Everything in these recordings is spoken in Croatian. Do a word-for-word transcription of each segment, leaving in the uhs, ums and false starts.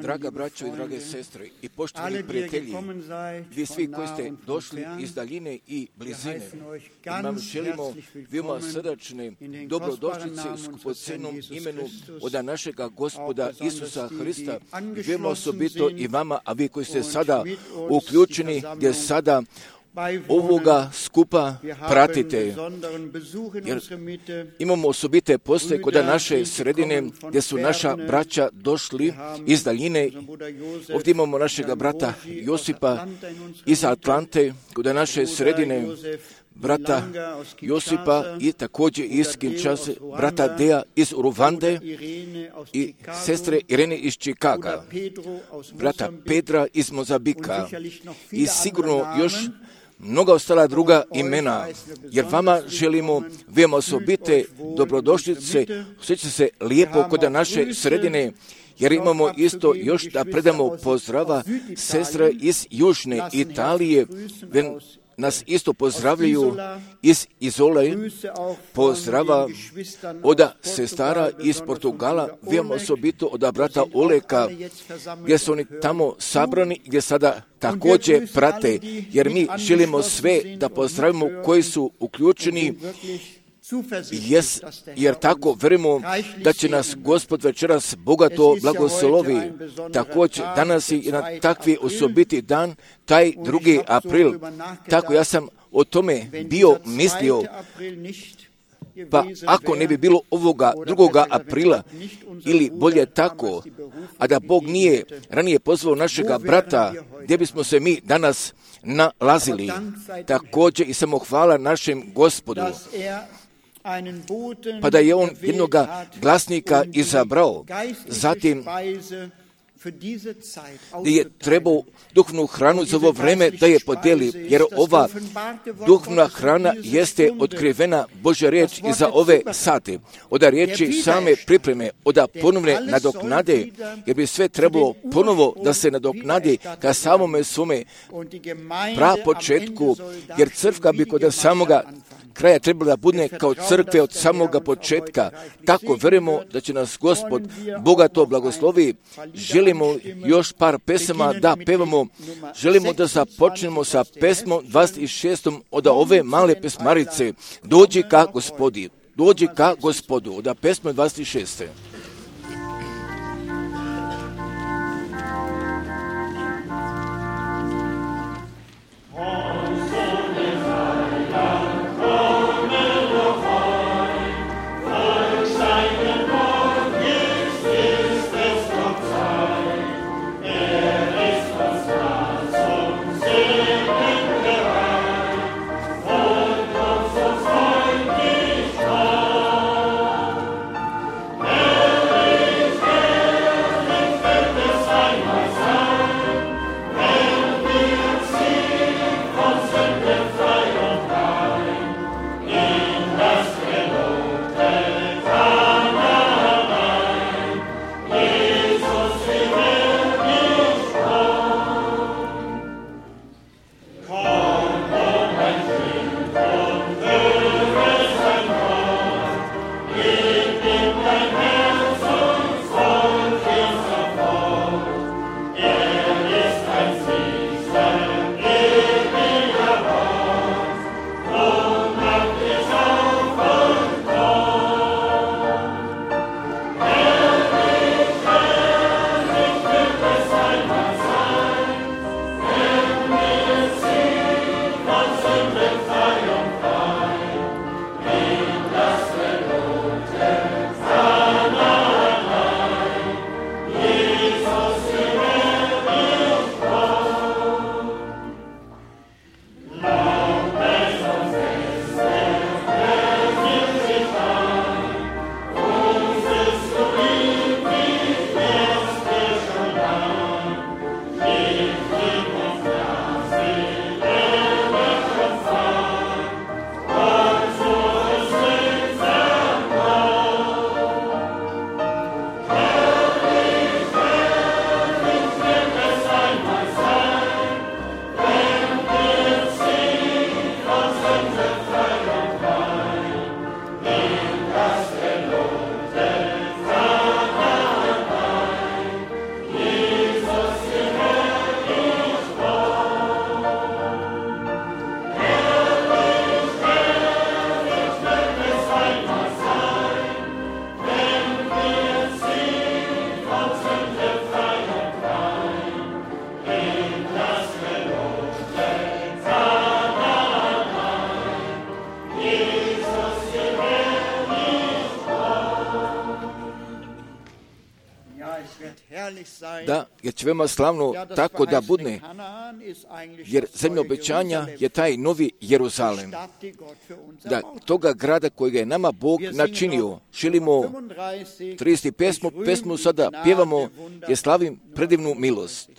Draga braćo i drage sestre i poštovani prijatelji, vi svi koji ste došli iz daljine i blizine, vam želimo veoma srdačne dobrodošlice u skupocenom imenu od našega Gospoda Isusa Hrista, veoma osobito i vama, a vi koji ste sada uključeni, gdje sada ovoga skupa pratite, jer imamo osobite postoje kod naše sredine gdje su naša braća došli iz daljine. Ovdje imamo našega brata Josipa iz Atlante, kod naše sredine brata Josipa i također iz Kinshase, brata Dea iz Uruvande i sestre Irene iz Čikaga, brata Pedra iz Mozambika i sigurno još mnoga ostala druga imena, jer vama želimo veoma osobite dobrodošlice, osjećate se lijepo kod naše sredine, jer imamo isto još da predamo pozdrava sestre iz Južne Italije, nas isto pozdravljaju iz Izole, pozdrava od sestara iz Portugala, veoma osobito od brata Oleka, gdje su oni tamo sabrani, gdje sada također prate, jer mi želimo sve da pozdravimo koji su uključeni, Yes, jer tako verujemo da će nas Gospod večeras bogato blagoslovi. Također danas je na takvi osobiti dan, taj drugi april. Tako ja sam o tome bio mislio. Pa ako ne bi bilo ovoga drugoga aprila, ili bolje tako, a da Bog nije ranije pozvao našega brata, gdje bismo se mi danas nalazili. Također i samohvala našem Gospodu, pa da je on jednoga glasnika izabrao, zatim gdje je trebao duhovnu hranu za ovo vreme da je podijeli, jer ova duhovna hrana jeste otkrivena Božja riječ i za ove sate. Od riječi same pripreme, od ponovne nadoknade, jer bi sve trebalo ponovo da se nadoknadi ka samome svome pra početku, jer crkva bi kod samoga kraja trebala da bude kao crkve od samoga početka. Tako verujemo da će nas Gospod bogato blagoslovi. Želimo još par pesama da pevamo. Želimo da započnemo sa pesmom dvadeset šestom od ove male pesmarice. Dođi ka Gospodi. Dođi ka Gospodu. Od pesme dvadeset šeste. Hey! Da, jer će veoma slavno tako da budne, jer zemlja obećanja je taj novi Jeruzalem. Da, toga grada kojega je nama Bog načinio. Želimo trideset pesmu, pesmu sada pjevamo, jer slavim predivnu milost.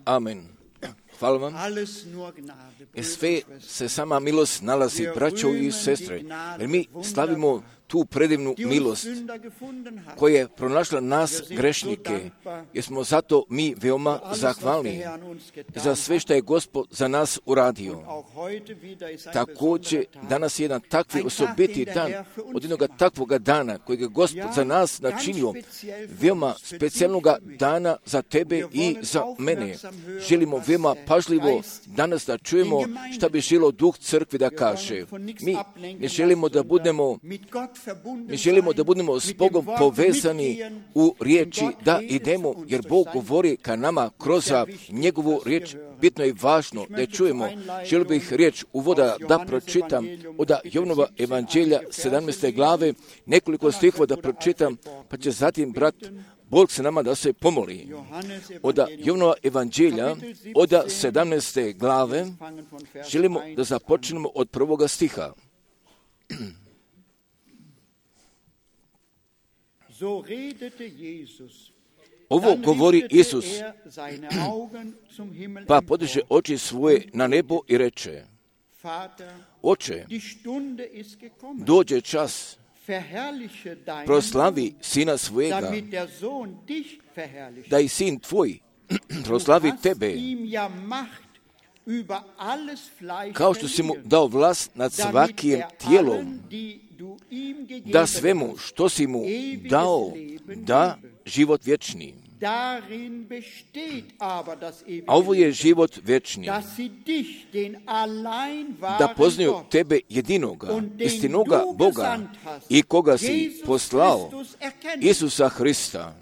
Amen. Hvala vam. Sve se sama milost nalazi, braćo i sestre, jer mi slavimo tu predivnu milost koja je pronašla nas grešnike, jer smo zato mi veoma zahvalni za sve što je Gospod za nas uradio. Također, danas je jedan takvi osobiti dan, od jednoga takvoga dana kojeg je Gospod za nas načinio, veoma specijalnoga dana za tebe i za mene. Želimo veoma pažljivo danas da čujemo šta bi želio Duh crkve da kaže. Mi ne želimo da budemo Mi želimo da budemo s Bogom povezani u riječi, da idemo, jer Bog govori ka nama kroz njegovu riječ. Bitno je važno da je čujemo. Želio bih riječ uvoda da pročitam od Jovanova evanđelja sedamnaeste glave, nekoliko stihova da pročitam, pa će zatim brat Bog se nama da se pomoli. Od Jovanova evanđelja, od sedamnaeste glave, želimo da započnemo od prvoga stiha. Ovo govori Isus, pa podiže oči svoje na nebo i reče: Oče, dođe čas, proslavi sina svojega, da i sin tvoj proslavi tebe, kao što si mu dao vlast nad svakim tijelom, da svemu što si mu dao, da život vječni. A ovo je život vječni, da poznaju tebe jedinoga, istinoga Boga i koga si poslao, Isusa Hrista.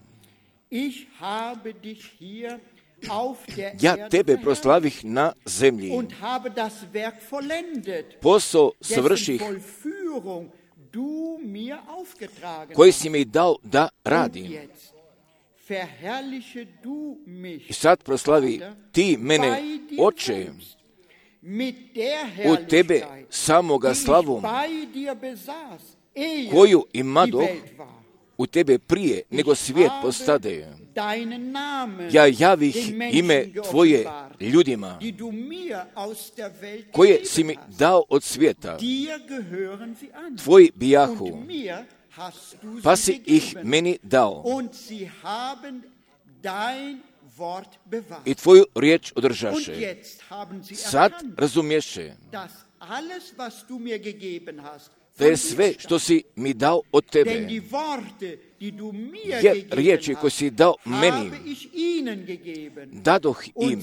Ja tebe proslavih na zemlji, posao svrših koji si mi dao da radim. I sad proslavi ti mene, Oče, u tebe samoga slavom, koju imadoh u tebe prije nego svijet postade. Ja javih ime tvoje ljudima, koje si mi dao od svijeta. Tvoji bijahu, pa si ih meni dao. I tvoju riječ održaše. Sad razumješe da je sve što si mi dao od tebe, jer riječi koje si dao meni, dadoh im,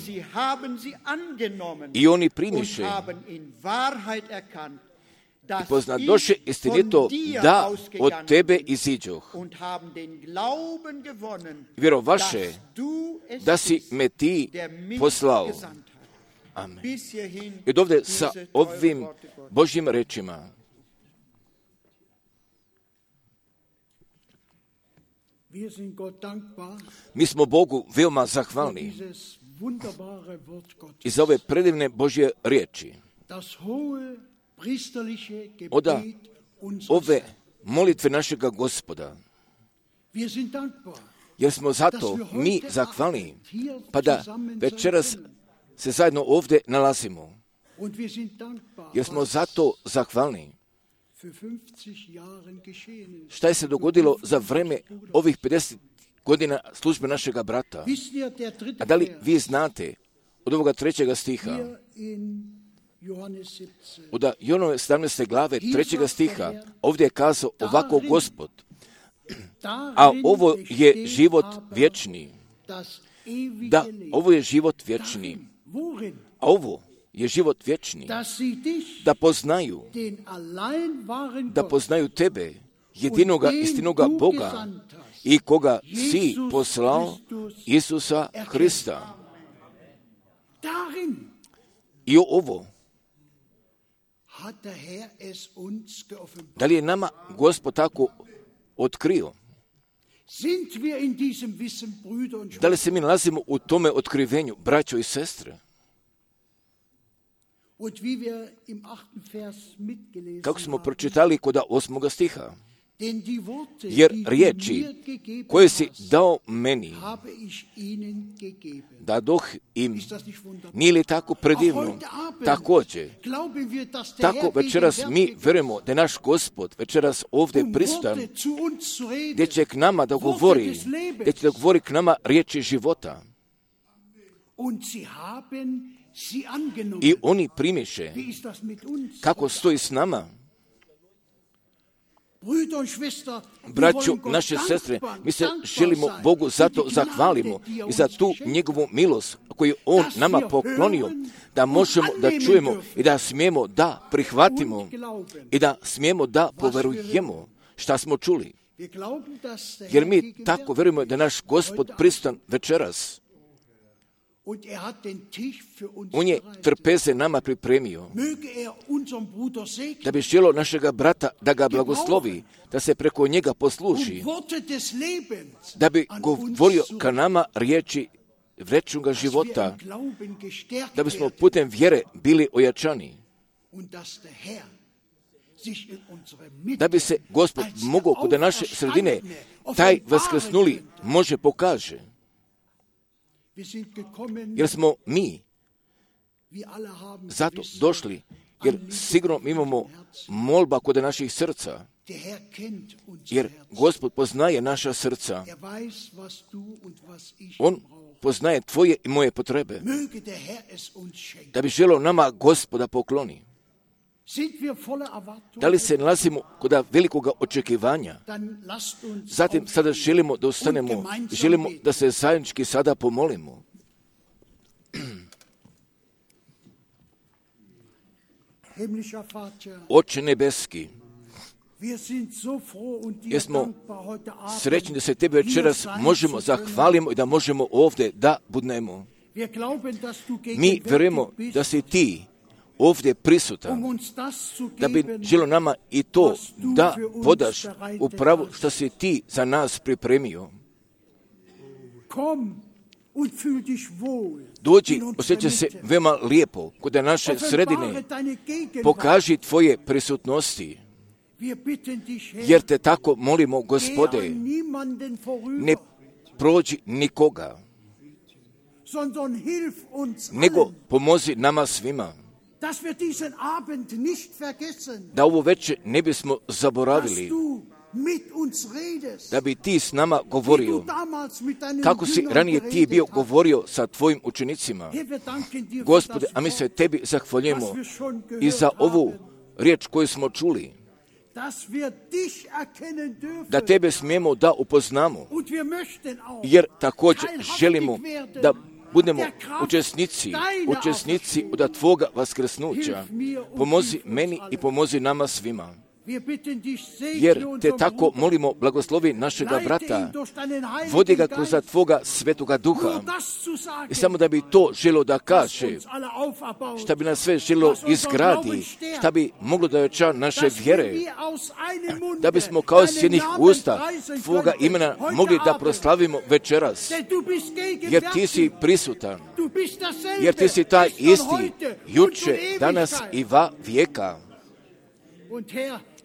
i oni primiše i poznadoše istinito da od tebe iziđoh. Vjerovaše da si me ti poslao. Amen. I dovde sa ovim Božjim rečima. Mi smo Bogu veoma zahvalni i za ove predivne Božje riječi. Oda ove molitve našega Gospoda. Jer smo zato mi zahvalni, pa da večeras se zajedno ovdje nalazimo. Jer smo zato zahvalni. Šta je se dogodilo za vreme ovih pedeset godina službe našega brata? A da li vi znate od ovoga trećega stiha, od Jonove sedamnaeste glave trećega stiha, ovdje je kazao ovako Gospod, a ovo je život vječni. Da, ovo je život vječni. A ovo je život vječni. Da poznaju, da poznaju tebe, jedinoga istinoga Boga i koga si poslao, Isusa Hrista. I ovo, da li je nama Gospod tako otkrio? Da li se mi nalazimo u tome otkrivenju, braćo i sestre? Kako smo pročitali kod osmoga stiha, jer riječi koje si dao meni, dadoh im, nije li tako predivno? Također, tako večeras mi verujemo da je naš Gospod večeras ovdje prisutan, gdje će k nama da govori, gdje će da govori k nama riječi života. I oni primiše. Kako stoji s nama? Braćo, naše sestre, mi se želimo Bogu zato zahvalimo i za tu njegovu milost koju On nama poklonio, da možemo da čujemo i da smijemo da prihvatimo i da smijemo da poverujemo šta smo čuli. Jer mi tako verujemo da naš Gospod prisutan večeras. On je trpeze nama pripremio, da bi želo našega brata da ga blagoslovi, da se preko njega posluži, da bi govorio ka nama riječi vječnoga života, da bismo putem vjere bili ojačani, da bi se Gospod mogao kod naše sredine taj vaskrsnuli može pokaže. Jer smo mi zato došli, jer sigurno imamo molba kod naših srca, jer Gospod poznaje naša srca. On poznaje tvoje i moje potrebe, da bi želio nama Gospoda pokloni. Da li se nalazimo kod velikog očekivanja? Zatim sada želimo da ustanemo, želimo da se zajednički sada pomolimo. Oče nebeski, jesmo srećni da se Tebe večeras možemo zahvalimo i da možemo ovdje da budnemo. Mi vjerujemo da si Ti ovdje prisutan, da bi želo nama i to da podaš upravo što si Ti za nas pripremio. Dođi, osjeća se veoma lijepo kod naše sredine, pokaži Tvoje prisutnosti, jer Te tako molimo, Gospode, ne prođi nikoga, nego pomozi nama svima, da ovo večer ne bismo zaboravili, da bi Ti s nama govorio, kako si ranije Ti bio govorio sa Tvojim učenicima. Gospode, a mi se Tebi zahvaljujemo i za ovu riječ koju smo čuli, da Tebe smijemo da upoznamo, jer također želimo da budemo učesnici, učesnici od Tvoga vaskrsnuća. Pomozi meni i pomozi nama svima. Jer Te tako molimo, blagoslovi našega brata, vodi ga kroz Tvoga svetoga duha. I samo da bi to želo da kaže, šta bi nas sve želo izgradi, šta bi moglo da ojača naše vjere, da bismo kao s jednih usta Tvoga imena mogli da proslavimo večeras. Jer Ti si prisutan, jer Ti si taj isti, juče, danas i va vijeka.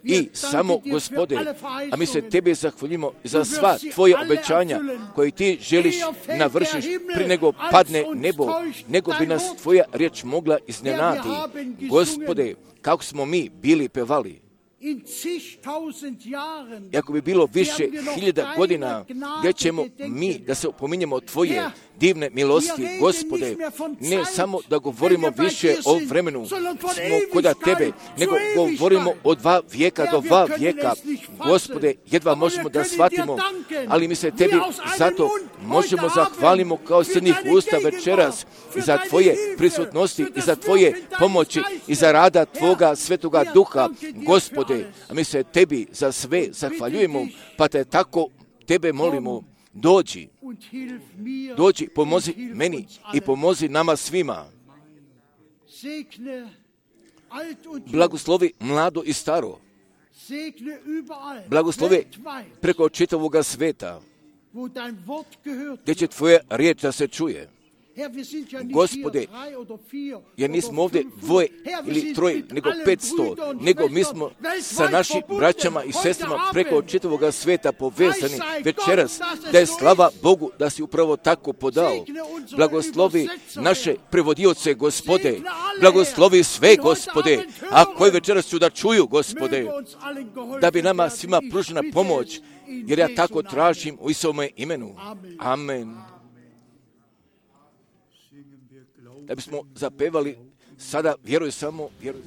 I samo, Gospode, a mi se Tebe zahvaljujemo za sva Tvoje obećanja koje Ti želiš navršiš prije nego padne nebo, nego bi nas Tvoja riječ mogla iznenati. Gospode, kako smo mi bili pevali. I ako bi bilo više hiljada godina, gdje ćemo mi da se opominjemo Tvoje divne milosti, Gospode, ne samo da govorimo više o vremenu, smo kod Tebe, nego govorimo od dva vijeka do dva vijeka. Gospode, jedva možemo da shvatimo, ali mi se Tebi zato možemo zahvalimo kao srnih usta večeras i za Tvoje prisutnosti i za Tvoje pomoći i za rada Tvoga svetoga duha, Gospode, a mi se Tebi za sve zahvaljujemo, pa Te tako Tebe molimo, dođi, dođi, pomozi meni i pomozi nama svima. Blagoslovi mlado i staro, blagoslovi preko čitavoga sveta, gdje će Tvoja riječ da se čuje. Gospode, jer nismo ovdje dvoje ili troje, nego petsto, nego mi smo sa našim braćama i sestrama preko čitavoga sveta povezani večeras, da je slava Bogu da si upravo tako podao. Blagoslovi naše prevodioce, Gospode, blagoslovi sve, Gospode, a koji večeras ću da čuju, Gospode, da bi nama svima pružena pomoć, jer ja tako tražim u Isovome imenu. Amen. Da bismo zapevali sada, vjeruj samo, vjeruj.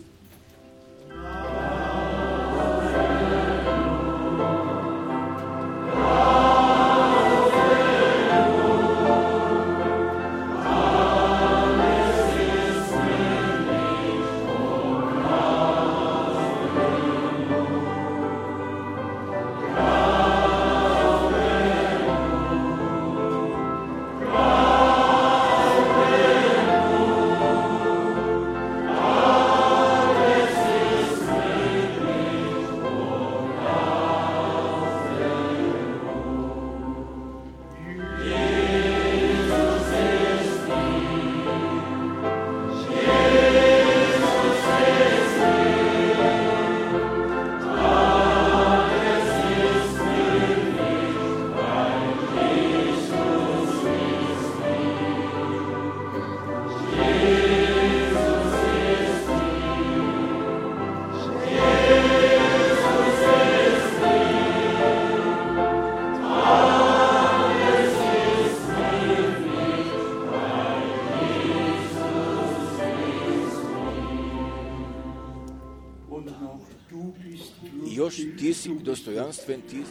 Oh ti si dostojanstven, ti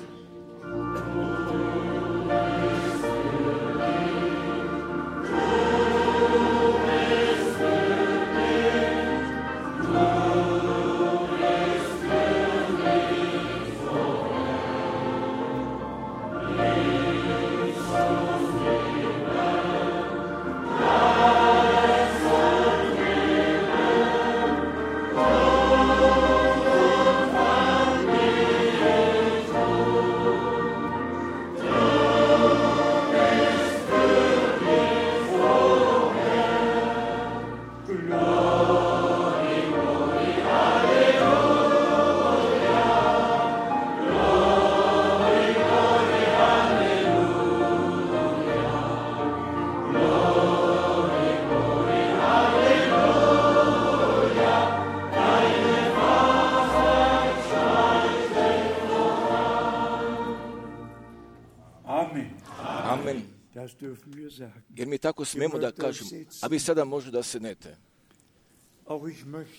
jer mi tako smemo da kažemo, a vi sada možda da sednete.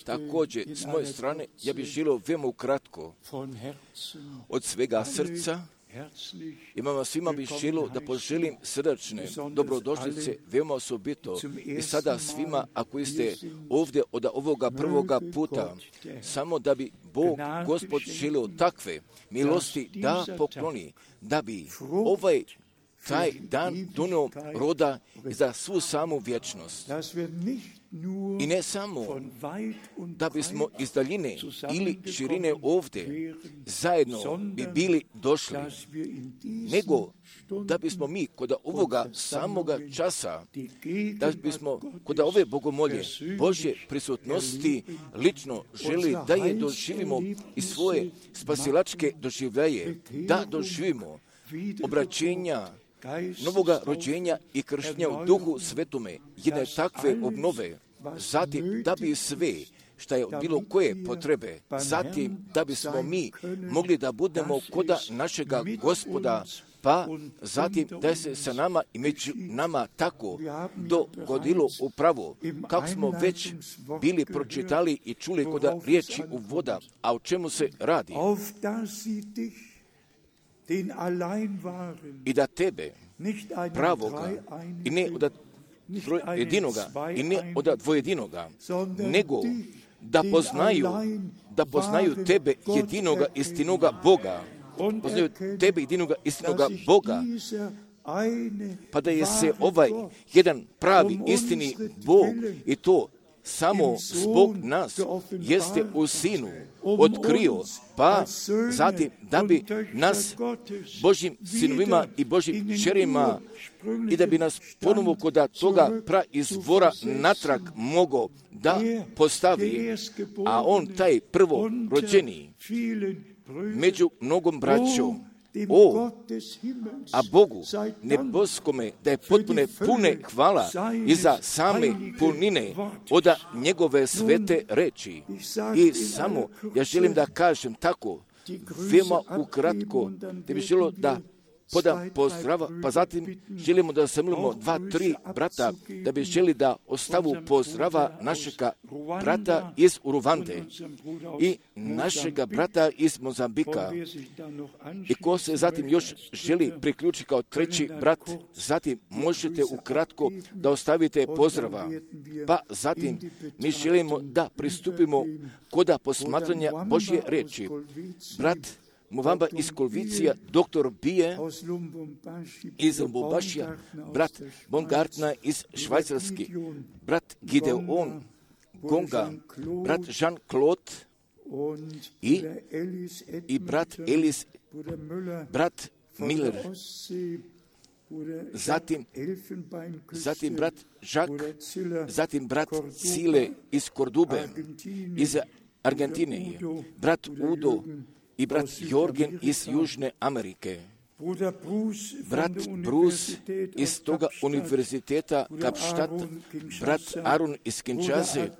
Također, s moje strane, ja bih želio veoma ukratko, od svega srca, imam vas svima bih želio da poželim srdačne dobrodošlice, veoma osobito i sada svima, ako ste ovdje od ovoga prvoga puta, samo da bi Bog, Gospod, želio takve milosti da pokloni, da bi ovaj taj dan donio roda za svu samu vječnost. I ne samo da bismo iz daljine ili širine ovdje zajedno bi bili došli, nego da bismo mi kod ovoga samoga časa, da bismo kod ove bogomolje Božje prisutnosti lično želi da je doživimo i svoje spasilačke doživljaje, da doživimo obraćenja novoga rođenja i krštenja u Duhu Svetome, jedne takve obnove, zatim da bi sve što je bilo koje potrebe, zatim da bismo mi mogli da budemo koda našega Gospoda, pa zatim da se sa nama i među nama tako dogodilo upravo, kako smo već bili pročitali i čuli koda riječi u voda, a o čemu se radi. I da tebe, pravoga, i ne od jedinoga, i ne od dvojedinoga, nego da poznaju, da poznaju tebe jedinoga istinoga Boga, poznaju tebe jedinoga istinoga Boga, pa da je se ovaj jedan pravi istini Bog i to samo zbog nas jeste u Sinu otkrio, pa zatim da bi nas Božjim sinovima i Božjim kćerima i da bi nas ponovo kod toga praizvora natrag mogo da postavi, a on taj prvo rođeni među mnogom braćom. O, a Bogu neboskome da je potpune pune hvala i za same punine od njegove svete reči. I samo ja želim da kažem tako, veoma ukratko, da bi želio da podam pozdrava, pa zatim želimo da zamolimo dva, tri brata, da bi želi da ostavu pozdrava našega brata iz Uruvande i našega brata iz Mozambika. I ko se zatim još želi priključiti kao treći brat, zatim možete ukratko da ostavite pozdrava. Pa zatim mi želimo da pristupimo koda posmatranja Božje reči. Brat Movamba iz Kolvicija, doktor Bije iz Lubumbašija, brat Bongartna iz Švajcarski, brat Gideon Gonga, brat Jean-Claude i, i brat Elis, brat Miller, zatim, zatim brat Jacques, zatim brat Cile iz Kordube, iz Argentine, brat Udo i brat Jorgen iz Južne Amerike, brat Bruce iz toga univerziteta Kapštat, brat Aaron iz Kinshase,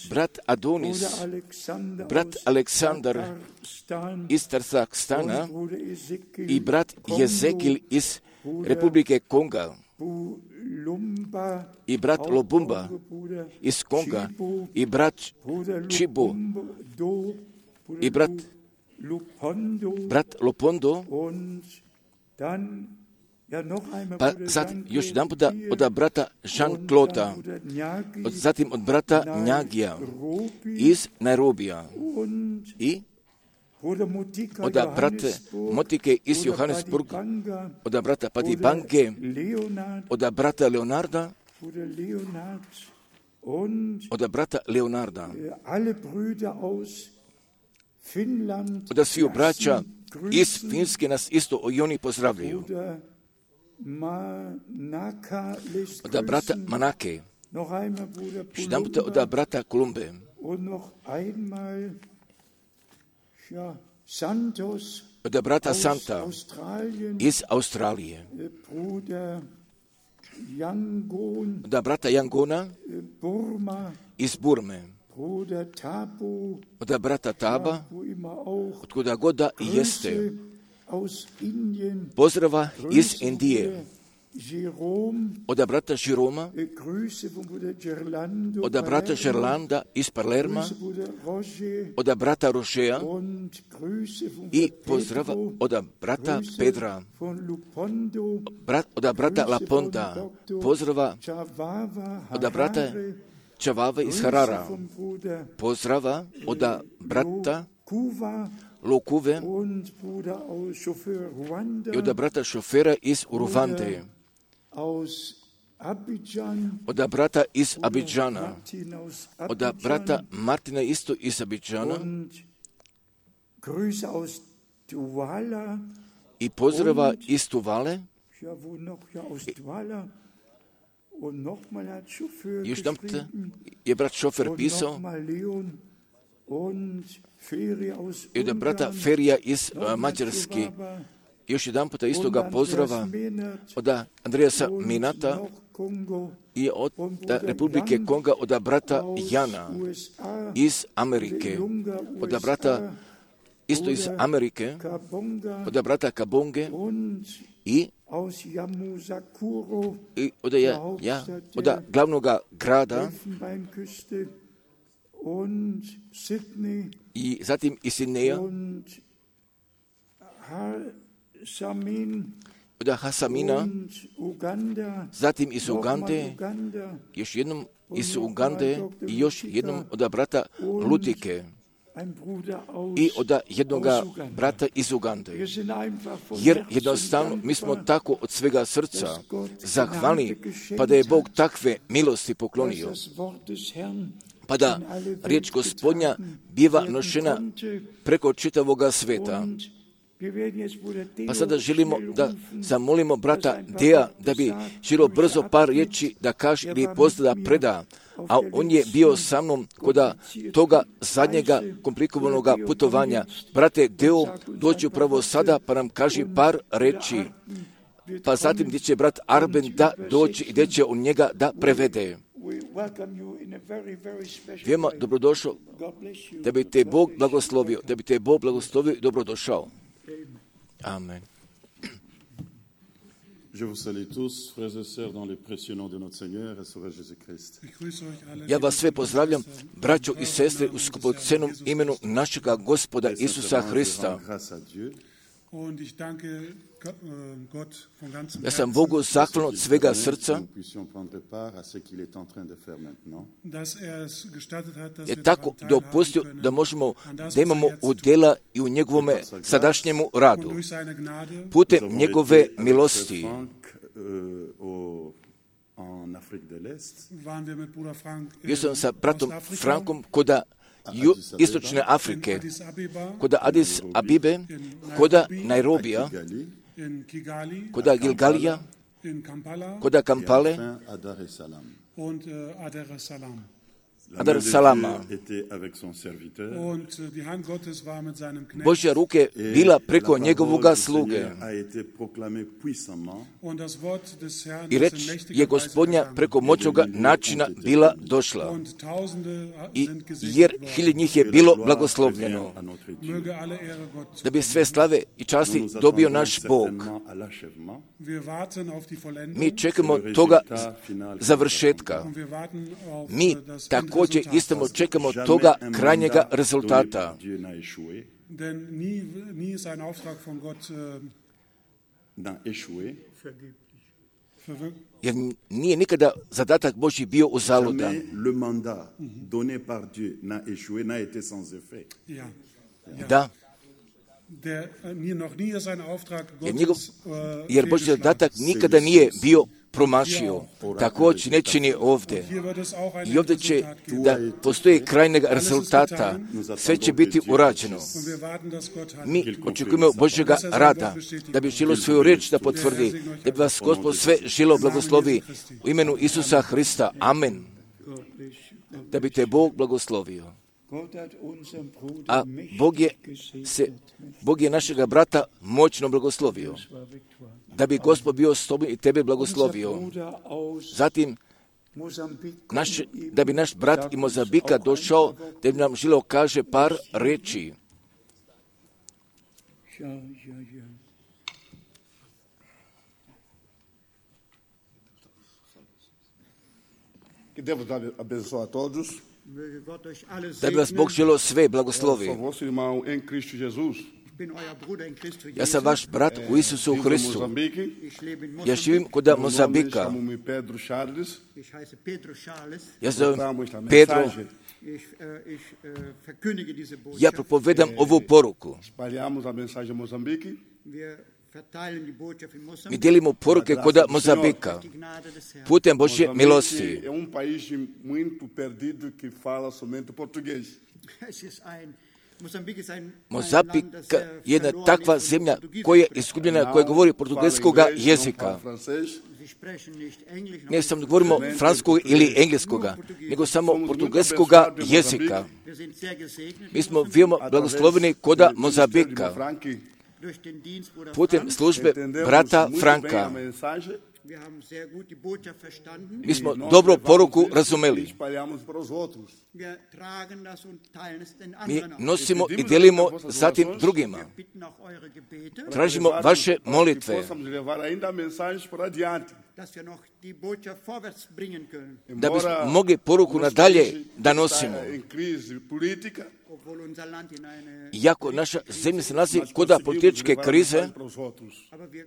brat Adonis, brat Aleksandar iz Tarzakstana i brat Jezekil iz Republike Konga i brat Lobumba iz Konga i brat Chibo i brat brat Lopondo, pa sad još jedan puta od brata Jean-Claude, zatim od brata Njagija iz Nairobija i od brate Motike iz Johannesburga, od brata Padibange, od brata Leonarda, od brata Leonarda, od svih braća iz Finske nas isto i oni pozdravljaju. Od brata Manake, jedan puta od brata Kolumbe, od brata Santa iz Australije, od brata Yangona iz Burme, od brata Taba, od kuda god da jeste, pozdrava iz Indije, od brata Žiroma, od brata Žerlanda iz Palerma, od brata Rošeja i pozdrava od brata Pedra, od brata Laponda, pozdrava od brata Čavave iz Harara, pozdrava od brata Lokuve i od brata šofera iz Uruvande, od brata iz Abidžana, od brata Martina isto iz Abidžana i pozdrava iz Tuvale. Još tam je brat šofer pisao i od brata Ferija iz uh, Mađarske. Još jedan puta istoga pozdrava od Andreasa Minata i od Republike Konga, od brata Jana iz Amerike, od brata isto iz Amerike, od brata Kabonge i, i od, ja, ja, od glavnog grada i zatim iz Sidneja, od Hasamina, zatim iz Ugande, još jednom iz Ugande i još jednom od brata Lutike i od jednog brata iz Ugande. Jer jednostavno mi smo tako od svega srca zahvalni, pa da je Bog takve milosti poklonio, pa da riječ Gospodnja biva nošena preko čitavoga sveta. Pa sada želimo da zamolimo brata Deja da bi želio brzo par riječi da kaže ili pozda da preda, a on je bio sa mnom kod toga zadnjega komplikovanog putovanja. Brate Deo, dođi upravo sada pa nam kaži par riječi, pa zatim gdje će brat Arben da doći i gdje će on njega da prevede. Veoma dobrodošao, da bi te Bog blagoslovio, da bi te Bog blagoslovio i dobrodošao. Amen. Je vous salue tous, frères et sœurs, dans le précieux nom de notre Seigneur et Sauveur Jésus-Christ. Ja vas sve pozdravljam, braćo i sestre, u skupocenom imenu našega Gospoda Isusa Hrista. Ja sam Bogu zahvalan od svega srca, je tako dopustio da možemo, da imamo udjela i u njegovome sadašnjemu radu, putem njegove milosti. Bio sam sa bratom Frankom kod Ju, istočne Afrike, kod Addis Abibe, kod Nairobija, kod Gilgalija, kod Kampale, Adar Salama. Božja ruke bila preko njegovoga sluge. I reč je Gospodnja preko moćnoga načina bila došla. I jer hiljad njih je bilo blagoslovljeno. Da bi sve slave i časti dobio naš Bog. Mi čekamo toga završetka. Mi također istamo čekamo toga krajnjega rezultata. Denn nie, nie ist ein Auftrag von Gott äh, n'a échoué. Jer nije nikada zadatak Božji bio uzaludan. Jamais le mandat donné par Dieu n'a échoué, n'a été sans effet. Ja. Ja. Da, Der, äh, noch nie ist ein Auftrag jer, njegov, Gottes, äh, jer Božji zadatak nikada nije bio promašio. Također ne čini ovdje. hier wird es auch ein I ovdje će Resultat geben. da postoji krajnjeg rezultata. Sve će biti urađeno. Und wir warten, dass Gott handelt. Mi očekujemo Božjega rada, da bi žilo svoju riječ da potvrdi, da bi vas Gospod sve žilo blagoslovi u imenu Isusa Hrista. Amen. Da bi te Bog blagoslovio. A Bog je, se, Bog je našega brata moćno blagoslovio. Da bi Gospod bio s tobom i tebe blagoslovio. Zatim, naš, da bi naš brat iz Mozambika došao, da bi nam žilo kaže par reči. Que Deus abençoe a todos. Da bi vas Bog želo sve blagoslovi. Sou vosso irmão em Cristo Jesus. Ja sam vaš brat u Isusu Vivo em Hristu. Moçambique. Ja živim kod Meu nome Mozambika. chamo-me Pedro Charles. Ich heiße Pedro Charles. Ja zovem Proclamo esta Pedro. mensagem. Ich, äh, ich äh, verkündige diese Botschaft. Ja propovedam ovu poruku. Espalhamos a mensagem em Moçambique. Wir verteilen die Botschaft in Mi Mosambik. dijelimo poruke kod Mozambika. Die Gnade des Herrn. Putem Božje milosti. Moçambique é um país muito perdido que fala somente português. Es ist ein Mosambik ist ein, ein Mozambik Land, das sehr je jedna verloren takva ist und zemlja Portugiesisch koja je spricht. izgubljena, koja govori portugalskoga Fala inglês, não jezika. fala francês. Sie sprechen nicht Englisch, noch Ne nicht samo govorimo francuskog ili engleskoga, nego samo portugalskoga jezika. Wir sind sehr gesegnet Mi smo veoma blagosloveni kod Mozambika. durch den Dienst Bruder Putem Frank. službe Entendemos brata muito bem a Franka. mensagem Wir haben sehr gut die Botschaft verstanden. Mi smo e nós dobro levamos poruku isso e razumeli. espalhamos para os outros. Wir tragen das und teilen es den Mi anderen auch. nosimo i delimo zatim drugima. Wir bitten auch eure Gebete, Tražimo vaše Para que molitve, possamos levar ainda a mensagem para adiante. dass wir noch die Botschaft vorwärts bringen können, da bismo Embora mogli poruku nosso nadalje país da está nosimo. em crise política, obwohl unser Land in eine... Iako naša zemlja se nalazi nós kod conseguimos političke levar a krize, mensagem para os outros. Aber wir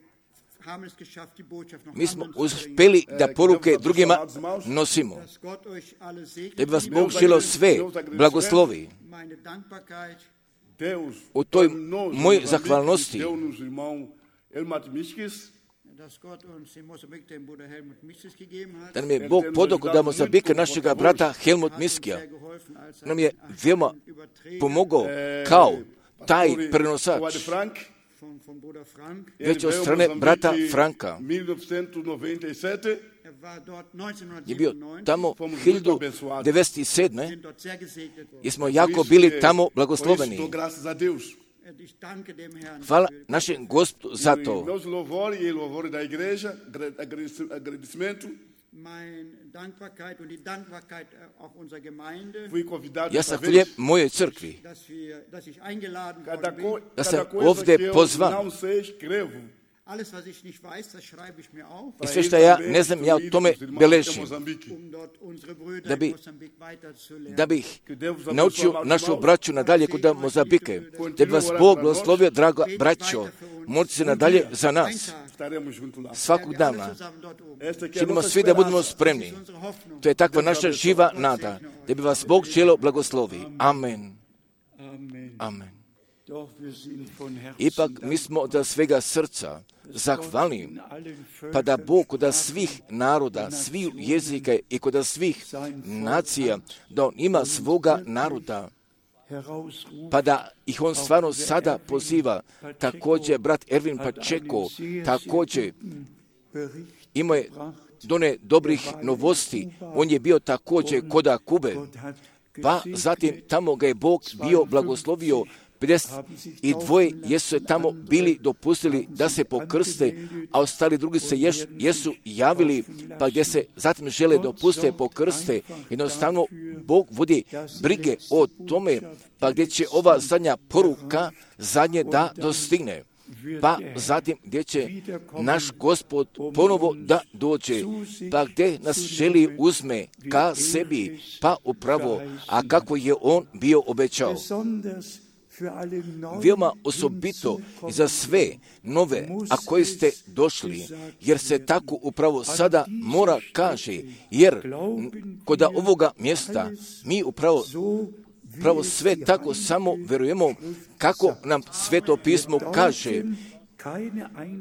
haben es geschafft, die Botschaft noch mi smo anderen zu bringen. uspjeli da poruke drugima nosimo. Dass Gott euch alle segnet. Da bi vas Liebe Bog želo sve blagoslovi. meine Dankbarkeit, Deus, U toj para nós, mojoj Moçambique, zahvalnosti, deu-nos o irmão Elmat Miskis, dass Gott uns in Mosambik den Bruder Helmut Miskis gegeben hat. da nam je Bog podao da Mozambika našega brata Helmut Miskija. Sehr geholfen, als er Nam je veoma einen Überträger pomogao kao taj pastor prenosač. Wade Frank, von, von Bruder Frank. ele Već od veio a strane Moçambique brata em Franka. mil novecentos e noventa e sete, Er war dort Je bio neunzehnhundertsiebenundneunzig. tamo fomos muito hiljadu abençoados. devedeset sedme. Sind dort sehr gesegnet worden. jer smo Por jako isso bili que- tamo por isso blagosloveni. dou graças a Deus. Und ich danke dem Herrn. Hvala für- našem Gospodu za E to. meus louvores e louvores da igreja, agra- agrade- agradecimento. Meine Dankbarkeit und die Dankbarkeit äh, auch unserer Gemeinde, Fui convidado Ja esta sam vez. hljeb mojoj crkvi. dass, wir, dass ich eingeladen Cada, worden co bin. Da cada sam coisa ovdje que eu pozvan. não sei, escrevo. Alles, was ich nicht weiß, das schreibe ich mir auf, I sve što ja ne znam, ja o tome beležim. um dort unsere Brüder Da bi- in Mosambik weiterzulernen. Da bih naučio našu braću nadalje kod Mozambike. Da bi vas Bog blagoslovio, draga braćo. Molite se nadalje za nas. Estaremos junto lá. Svakog Alle dana. zusammen dort oben. Esta aqui é a Činimo nossa svi da budemo esperança. spremni. Das ist unsere Hoffnung. To je takva naša živa nada. Da bi vas Bog želo blagoslovi. Amen. Amen. Amen. Doch wir sind von Herzen Ipak mi smo od svega srca zahvalni, in allen pa da Völkern, Bog kod svih naroda, svih jezika i kod svih nacija, da On ima svoga naroda, herausruft, pa da ih On stvarno sada poziva. Također, brat Ervin Pačeko, također Bericht imao je done dobrih novosti. On je bio također koda Kube, Gott hat pa zatim tamo ga je Bog bio blagoslovio. pedeset dvoje jesu se tamo bili dopustili da se pokrste, a ostali drugi se ješ, jesu javili, pa gdje se zatim žele dopuste pokrste. Jednostavno, Bog vodi brige o tome, pa gdje će ova zadnja poruka zadnje da dostigne. Pa zatim gdje će naš Gospod ponovo da dođe, pa gdje nas želi uzme ka sebi, pa upravo, a kako je On bio obećao. besonders veoma osobito i za sve nove, a koji ste došli, jer se tako upravo sada mora kaže, jer kod ovoga mjesta mi upravo Pravo sve tako samo verujemo kako nam Sveto pismo kaže,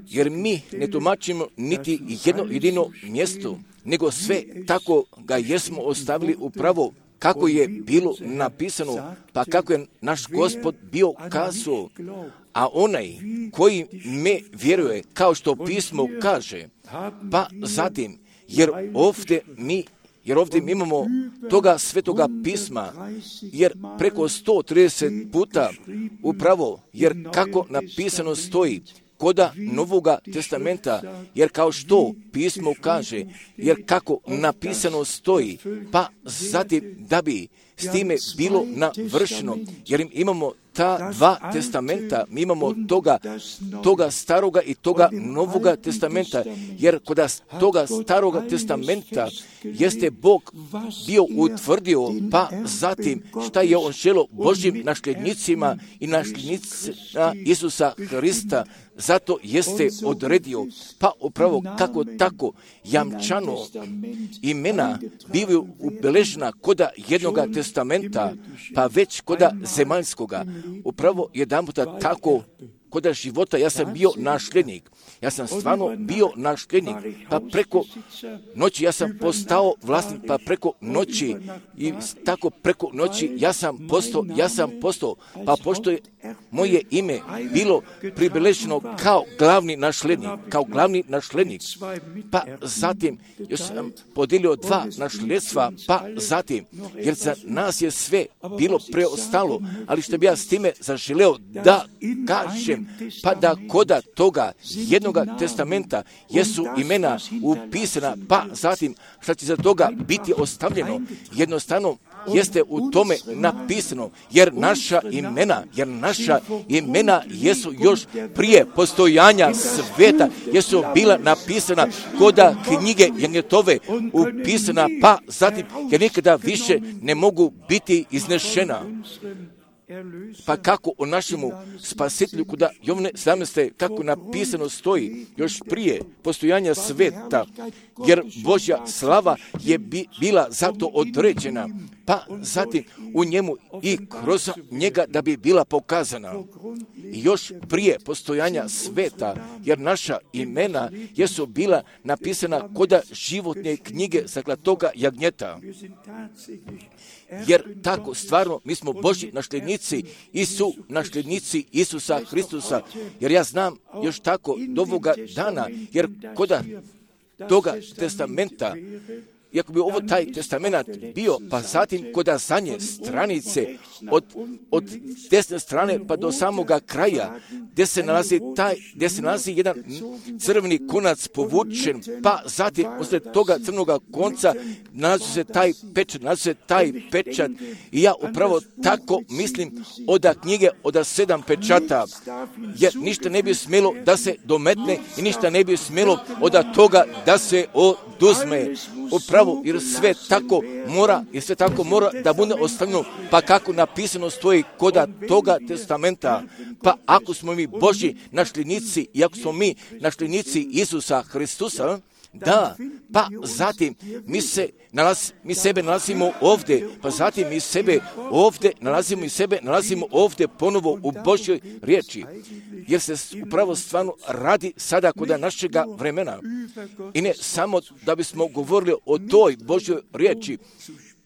jer mi ne tumačimo niti jedno jedino mjesto, nego sve tako ga jesmo ostavili upravo kako je bilo napisano, pa kako je naš Gospod bio kazao, a onaj koji me vjeruje, kao što pismo kaže, pa zatim, jer ovdje mi Jer ovdje mi imamo toga svetoga pisma, jer preko sto trideset puta upravo, jer kako napisano stoji koda Novoga testamenta, jer kao što pismo kaže, jer kako napisano stoji, pa zatim da bi s time bilo navršeno, jer im imamo ta dva testamenta, mi imamo toga, toga staroga i toga Novoga testamenta, jer kod toga staroga testamenta jeste Bog bio utvrdio, pa zatim šta je on želio Božjim nasljednicima i nasljednicima Isusa Hrista, zato jeste odredio, pa upravo kako tako jamčano imena bivaju ubeležena koda jednoga testamenta, pa već koda zemaljskoga. Upravo jedan puta tako koda života ja sam bio nasljednik. Ja sam stvarno bio nasljednik, pa preko noći ja sam postao vlasnik, pa preko noći i tako preko noći ja sam postao, ja sam postao, pa pošto je moje ime bilo pribeleženo kao glavni nasljednik, kao glavni nasljednik, pa zatim još sam podijelio dva nasljedstva, pa zatim, jer za nas je sve bilo preostalo, ali što bi ja s time zaželeo da kažem, pa da koda toga jednoga testamenta jesu imena upisana, pa zatim što će za toga biti ostavljeno, jednostavno jeste u tome napisano, jer naša imena, jer naša imena jesu još prije postojanja sveta, jesu bila napisana koda knjige Janjetove upisana, pa zatim jer nikada više ne mogu biti iznešena. Pa kako o našemu spasitelju, kuda Jovne sedamnaeste kako napisano stoji još prije postojanja sveta, jer Božja slava je bi, bila zato određena, pa zatim u njemu i kroz njega da bi bila pokazana. I još prije postojanja sveta, jer naša imena jesu bila napisana koda životne knjige Zaklatoga jagnjeta. Jer tako stvarno mi smo Božji nasljednici i su nasljednici Isusa Hristusa, jer ja znam još tako do ovoga dana, jer koda toga testamenta, iako bi ovo taj testament bio, pa zatim koda zadnje stranice, od, od desne strane pa do samoga kraja, gdje se nalazi taj, gdje se nalazi jedan crveni konac povučen, pa zatim usred toga crvenoga konca nalazi se taj pečat, nalazi se taj pečat, i ja upravo tako mislim oda knjige, oda sedam pečata, jer ništa ne bi smjelo da se dometne i ništa ne bi smjelo oda toga da se oduzme. Upravo, jer sve tako mora, jer sve tako mora da bude ostavljeno, pa kako napisano stoji koda toga testamenta, pa ako smo mi Božji nasljednici i ako smo mi nasljednici Isusa Hristusa, da, pa zatim mi se nalaz, mi sebe nalazimo ovdje, pa zatim mi sebe ovdje nalazimo i sebe nalazimo ovdje ponovo u Božjoj riječi, jer se upravo stvarno radi sada kod našega vremena. I ne samo da bismo govorili o toj Božjoj riječi,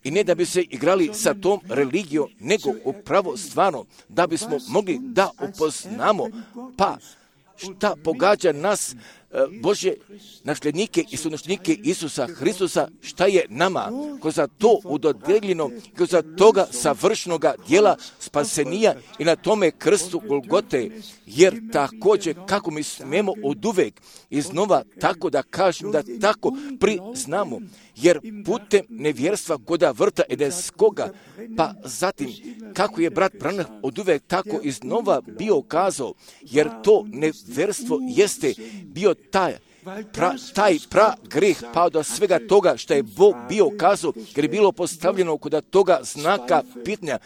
i ne da bi se igrali sa tom religijom, nego upravo stvarno da bismo mogli da upoznamo, pa šta pogađa nas, Božje nasljednike i sunasljednike Isusa Hristusa, šta je nama kroz to udodjeljeno, kroz toga savršenoga djela spasenija i na tome krstu Golgote, jer također kako mi smemo oduvek iznova tako da kažem, da tako priznamo, jer putem nevjerstva koda vrta edeskoga, pa zatim kako je brat Branham oduvek tako iznova bio kazao, jer to nevjerstvo jeste bio taj, pra, taj pra greh pao do svega toga što je Bog bio kazao, jer je bilo postavljeno kod toga znaka pitanja,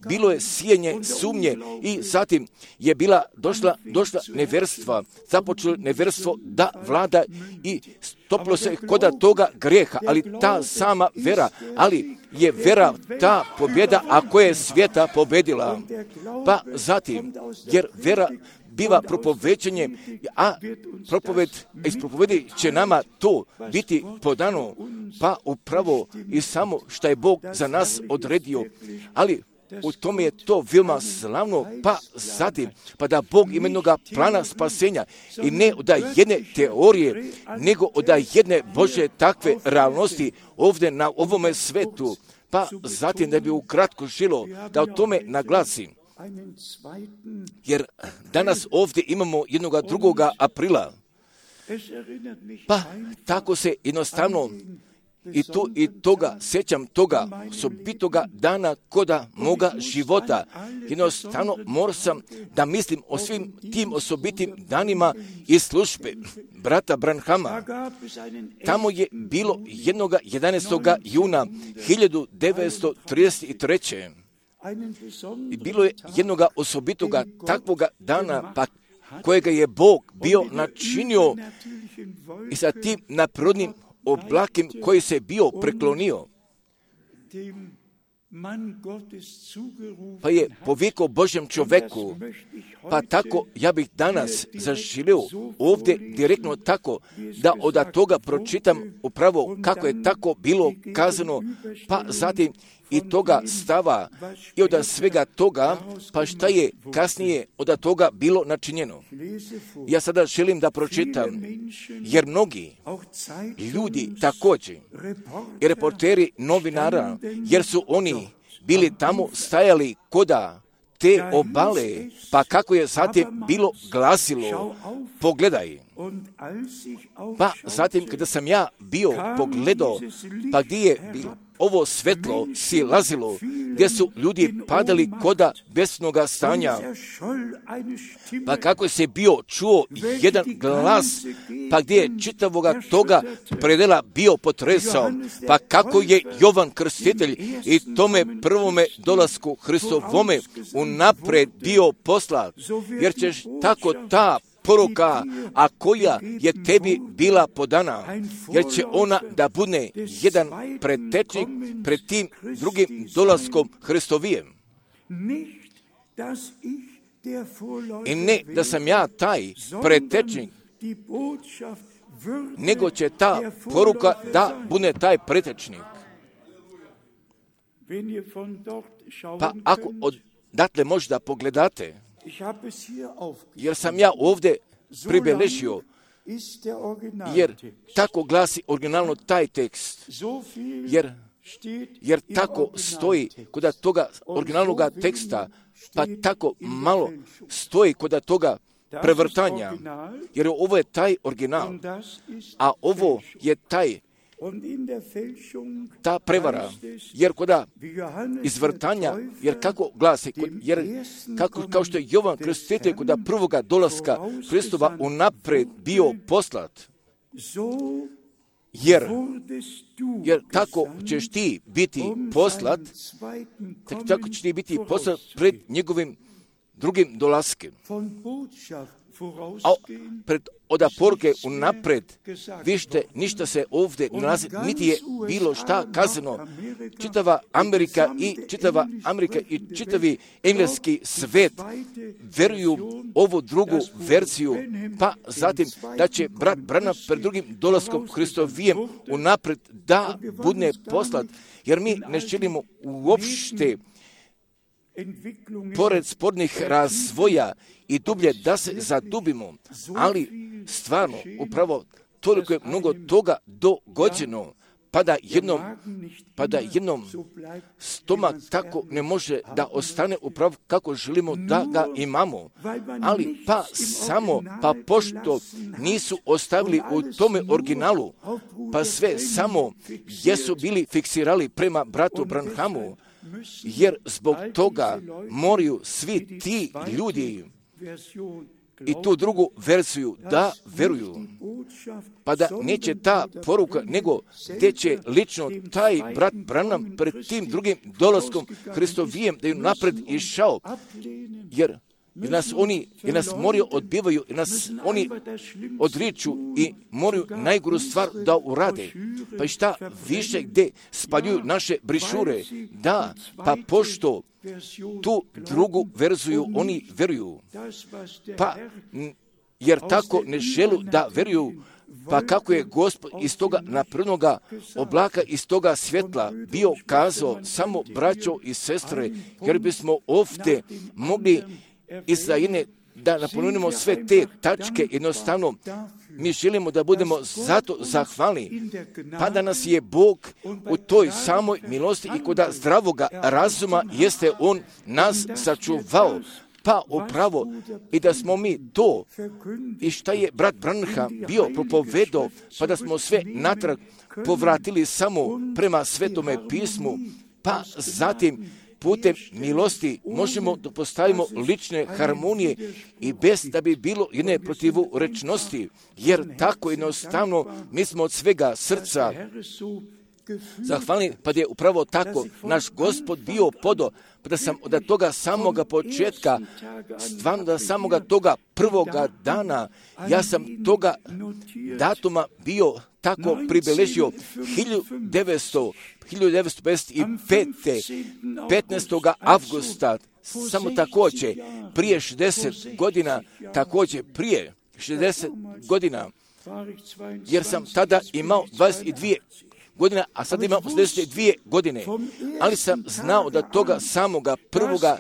bilo je sijenje sumnje i zatim je bila došla, došla neverstva, započelo neverstvo da vlada i stopilo se kod toga greha, ali ta sama vera, ali je vera ta pobjeda, ako je svijeta pobjedila. Pa zatim, jer vera biva propoveđenje, a propoved, iz propovedi će nama to biti podano, pa upravo i samo što je Bog za nas odredio, ali u tome je to veoma slavno, pa zatim, pa da Bog ima jednoga plana spasenja i ne od jedne teorije, nego od jedne Božje takve realnosti ovdje na ovome svetu, pa zatim da bi ukratko žilo da o tome naglasim. Jer danas ovdje imamo jednoga drugoga aprila, pa tako se jednostavno i, to, i toga, sjećam toga osobitoga dana koda moga života. Jednostavno moram sam da mislim o svim tim osobitim danima i službe brata Branhama. Tamo je bilo jednoga jedanaestog juna hiljadu devetsto trideset treće. I bilo je jednoga osobitoga takvoga dana, pa kojega je Bog bio načinio i sa tim naprirodnim oblakom koji se bio preklonio. Pa je povikao Božjem čoveku, pa tako ja bih danas zaželio ovdje direktno tako da od toga pročitam upravo kako je tako bilo kazano, pa zatim i toga stava i od svega toga, pa šta je kasnije od toga bilo načinjeno. Ja sada želim da pročitam, jer mnogi ljudi također, i reporteri novinara, jer su oni bili tamo stajali koda te obale, pa kako je zatim bilo glasilo, pogledaj. Pa zatim kada sam ja bio pogledao, pa gdje je bilo ovo svetlo silazilo, gdje su ljudi padali koda besnoga stanja, pa kako se bio čuo jedan glas, pa gdje je čitavoga toga predela bio potresao, pa kako je Jovan Krstitelj i tome prvome dolasku Hristovome unapred bio poslat, jer ćeš tako ta poruka, a koja je tebi bila podana, jer će ona da bude jedan pretečnik pred tim drugim dolaskom Hristovijem. I ne da sam ja taj pretečnik, nego će ta poruka da bude taj pretečnik. Pa ako odatle možda pogledate, jer sam ja ovdje pribeležio, jer tako glasi originalno taj tekst, jer, jer tako stoji kod toga originalnog teksta, pa tako malo stoji kod toga prevrtanja, jer ovo je taj original, a ovo je taj ta prevara, jer koda izvrtanja, jer kako glasi, jer kako, kao što je Jovan Krstitelj koda prvoga dolaska Hristova unapred bio poslat, jer, jer tako ćeš ti biti poslat, tako ćeš ti biti poslat pred njegovim drugim dolaskem. A pred oda poruke unapred, vište, ništa se ovdje nalazi, niti je bilo šta kazano. Čitava Amerika i čitava Amerika i čitavi engleski svet veruju ovu drugu verziju, pa zatim da će brat Branham pred drugim dolaskom Hristovijem unapred da bude poslat, jer mi ne želimo uopšte pored spornih razvoja i dublje da se zadubimo, ali stvarno upravo toliko je mnogo toga dogođeno, pa da jednom, pa da jednom stomak tako ne može da ostane upravo kako želimo da ga imamo, ali pa samo, pa pošto nisu ostavili u tome originalu, pa sve samo jesu bili fiksirali prema bratu Branhamu, jer zbog toga moraju svi ti ljudi i tu drugu verziju da veruju. pa da neće ta poruka, nego gdje će lično taj brat Branham pred tim drugim dolaskom Hristovijem da je napred išao, jer jer nas oni, jer nas moraju odbivaju, jer nas oni odriču i moraju najgoru stvar da urade. Pa i šta više gdje spaljuju naše brišure? Da, pa pošto tu drugu verziju oni veruju. Pa, jer tako ne želu da veruju, pa kako je Gospod iz toga naprednoga oblaka, iz toga svjetla bio kazao, samo braćo i sestre, jer bismo ovdje mogli iza jedne da napomenemo sve te tačke, jednostavno mi želimo da budemo zato zahvalni, pa da nas je Bog u toj samoj milosti i kod zdravoga razuma jeste On nas sačuvao, pa upravo i da smo mi to i šta je brat Branham bio propovedao, pa da smo sve natrag povratili samo prema Svetome pismu, pa zatim putem milosti možemo da postavimo lične harmonije i bez da bi bilo jedne protivurečnosti, jer tako jednostavno mi smo od svega srca zahvalni, pa je upravo tako naš Gospod bio podo, pa da sam od toga samoga početka, stvarno da samoga toga prvoga dana, ja sam toga datuma bio tako pribeležio hiljadu devetsto pedeset pet. petnaestog avgusta, samo također prije šezdeset godina, također prije šezdeset godina, jer sam tada imao dvadeset dvije godina, a sad imam osamdeset dvije godine, ali sam znao da toga samoga prvoga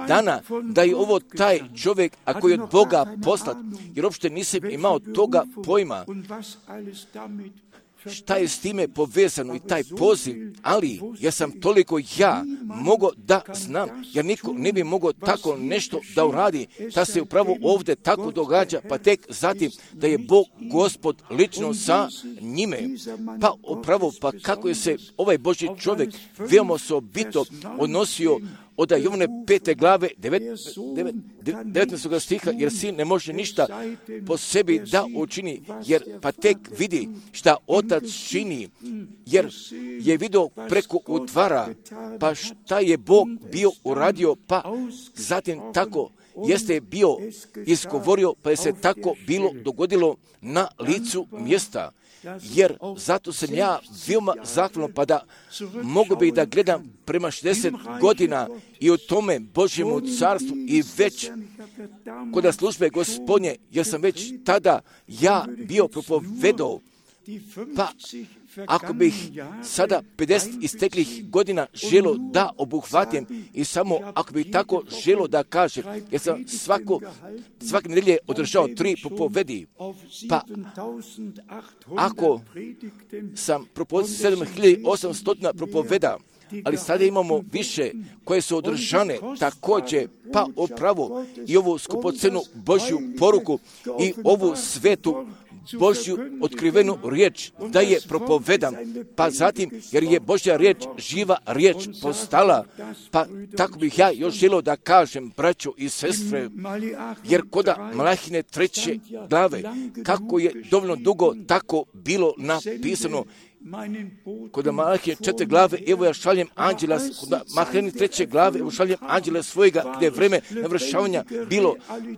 dana, da je ovo taj čovjek, a koji je od Boga poslat, jer uopšte nisam imao toga pojma šta je s time povezano i taj poziv, ali ja sam toliko ja mogao da znam, jer niko ne bi mogao tako nešto da uradi, da se upravo ovdje tako događa, pa tek zatim da je Bog Gospod lično sa njime. Pa upravo, pa kako je se ovaj Božji čovjek veoma osobito odnosio od Jovane pete glave devetnaestog stiha, jer sin ne može ništa po sebi da učini, jer pa tek vidi šta otac čini, jer je vidio preko utvara, pa šta je Bog bio uradio, pa zatim tako jeste bio izgovorio, pa je se tako bilo dogodilo na licu mjesta. Jer zato sam ja veoma zahvalan, pa da mogu bi da gledam prema šezdeset godina i u tome Božjemu carstvu i već kod službe Gospodnje, jer sam već tada ja bio propovedao, pa ako bih sada pedeset isteklih godina želo da obuhvatim i samo ako bih tako želo da kažem, jer sam svako, svake nedelje održao tri propovedi, pa ako sam propovedio sedam hiljada osamsto propoveda, ali sada imamo više koje su održane također, pa upravo i ovu skupocenu Božju poruku i ovu svetu Božju otkrivenu riječ da je propovedam, pa zatim jer je Božja riječ živa riječ postala, pa tako bih ja još želio da kažem, braćo i sestre, jer koda Malahine treće glave, kako je dovoljno dugo tako bilo napisano, kod Malahije četiri glave, evo ja šaljem anđela, kod Malahine treće glave, evo šaljem anđela svojega, gdje je vreme navršavanja bilo,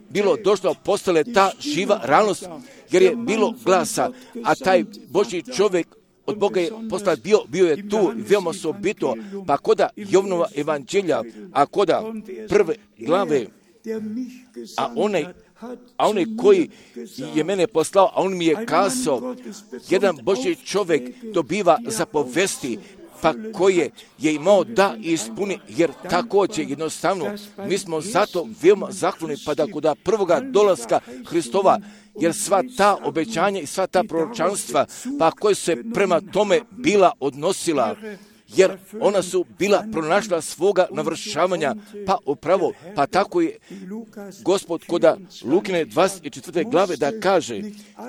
bilo došlo, postale ta živa realnost, jer je bilo glasa, a taj Božji čovjek od Boga je poslat bio, bio je tu, veoma osobito, pa koda Jovnova evanđelja, a koda prve glave, a onaj A onaj koji je mene poslao, a on mi je kazao, jedan Božji čovjek dobiva zapovesti, pa koje je imao da ispuni, jer također jednostavno mi smo zato veoma zahvalni, pa da kod prvoga dolaska Hristova, jer sva ta obećanja i sva ta proročanstva, pa koje se prema tome bila odnosila, jer ona su bila pronašla svoga navršavanja, pa upravo, pa tako je Gospod koda Lukine dvadeset četvrte glave da kaže,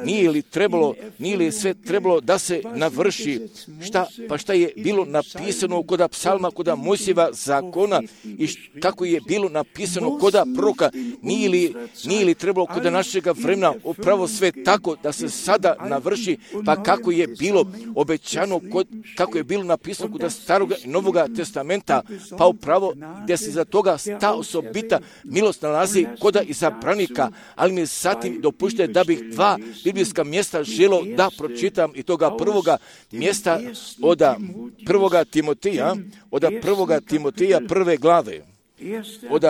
nije li trebalo, nije li sve trebalo da se navrši, šta, pa šta je bilo napisano koda psalma, koda Mojsijeva zakona i kako je bilo napisano koda proroka, nije li, nije li trebalo koda našega vremena upravo sve tako da se sada navrši, pa kako je bilo obećano, kod, kako je bilo napisano koda Staroga i Novoga testamenta, pa upravo gdje se za toga ta osobita milost nalazi koda izabranika, ali mi zatim dopušte da bih dva biblijska mjesta želo da pročitam i toga prvoga mjesta od prvoga Timotija, od prvoga Timotija prve glave, od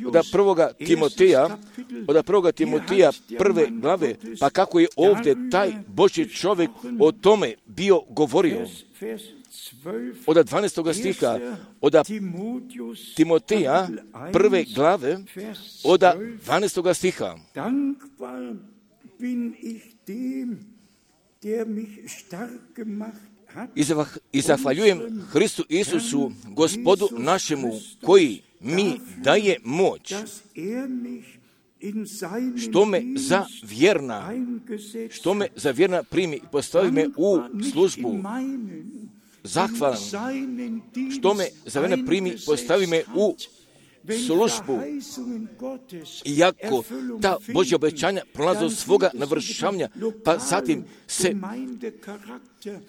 od prvoga Timotija, od prvoga Timotija prve glave, pa kako je ovdje taj Božji čovjek o tome bio govorio. Od dvanaestog stiha, od Timotija prve glave, od dvanaestog stiha. I zahvaljujem Hristu Isusu, Gospodu našemu, koji mi daje moć, što me za vjerna, što me za vjerna primi, postavi me u službu. Zahvalan, što me za vjerna primi, postavi me u službu. Iako ta Božja obećanja prolaze od svoga navršavanja, pa zatim se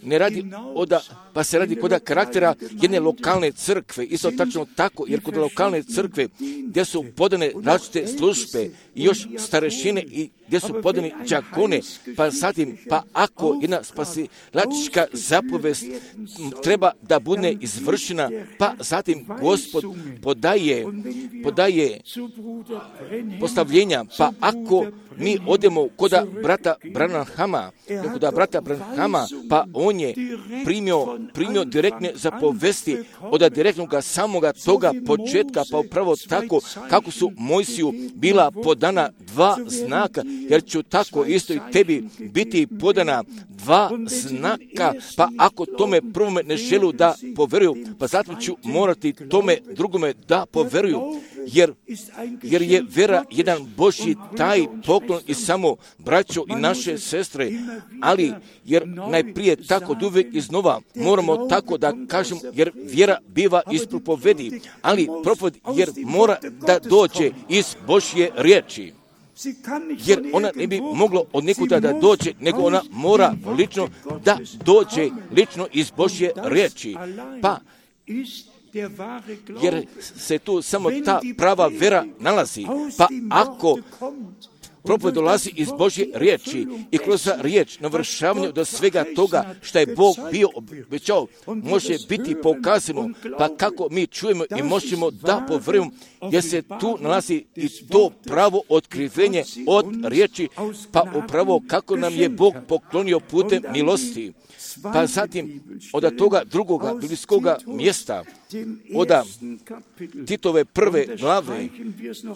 ne radi oda, pa se radi koda karaktera jedne lokalne crkve, isto tačno tako, jer kod lokalne crkve gdje su podane različite službe i još starešine i gdje su podani đakone, pa zatim, pa ako jedna spasilačka zapovest treba da bude izvršena, pa zatim Gospod podaje, podaje postavljenja, pa ako mi odemo koda brata Branhama, koda brata Branhama, pa on je primio, primio direktne zapovesti od direktnoga samoga toga početka, pa upravo tako kako su Mojsiju bila podana dva znaka, jer ću tako isto i tebi biti podana dva znaka, pa ako tome prvome ne želu da poveruju, pa zato ću morati tome drugome da poveruju, jer, jer je vera jedan Božji taj poklon i samo braćo i naše sestre, ali jer najprije tako uvijek iznova moramo tako da kažem, jer vjera biva iz propovedi, ali propoved jer mora da dođe iz Božje riječi. Jer ona ne bi mogla od nekuda da dođe, nego ona mora lično da dođe lično iz Božje riječi. Pa, jer se tu samo ta prava vera nalazi. Pa ako propoved dolazi iz Božje riječi i kroz riječ navršavanje do svega toga što je Bog bio obećao, može biti pokazano, pa kako mi čujemo i možemo da poverujemo, jer se tu nalazi i to pravo otkrivenje od riječi, pa upravo kako nam je Bog poklonio putem milosti. Pa zatim od toga drugoga biblijskoga mjesta, od Titove prve glave,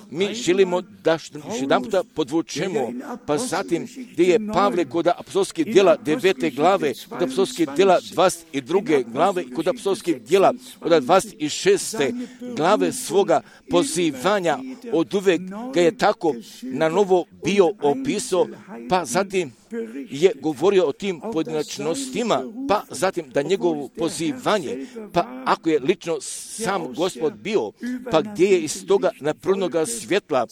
mi želimo da još jedan puta podvučemo, pa zatim gdje je Pavle kod apostolskih djela devete glave, kod apostolskih djela dvadeset druge glave i kod apostolskih djela od dvadeset šeste glave svoga pozivanja, od uvek ga je tako na novo bio opisao, pa zatim je govorio o tim pojedinačnostima, pa zatim da njegovo pozivanje, pa ako je lično sam Gospod bio, pa gdje je iz toga naprvnoga svjetla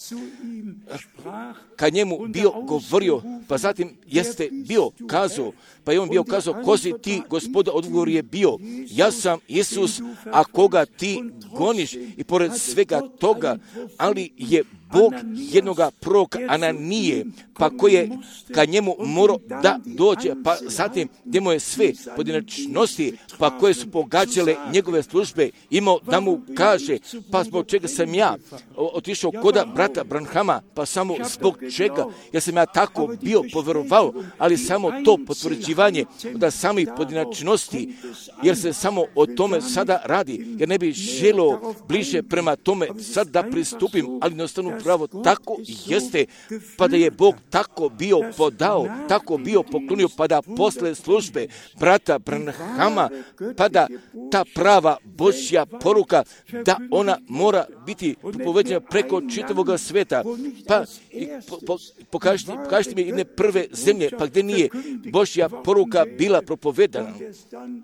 ka njemu bio govorio, pa zatim jeste bio kazao, pa je on bio kazao, ko si ti, Gospoda, odgovor je bio, ja sam Isus, a koga ti goniš, i pored svega toga, ali je Bog jednoga proroka Ananije, pa koji je ka njemu morao da dođe, pa zatim gdje mu je sve pojedinačnosti, pa koje su pogađale njegove službe, imao da mu kaže, pa zbog čega sam ja otišao koda brata Branhama, pa samo zbog čega, jer sam ja tako bio poverovao, ali samo to potvrđivanje da samih pojedinačnosti, jer se samo o tome sada radi, jer ne bi želio bliže prema tome sad da pristupim, ali jednostavno upravo tako jeste, pa da je Bog tako bio podao, tako bio poklonio, pa da posle službe brata Branhama, pa da ta prava Božja poruka, da ona mora biti propovedena preko čitavog sveta. Pa po, po, pokažite, pokažite mi jedne prve zemlje, pa gdje nije Božja poruka bila propovedana.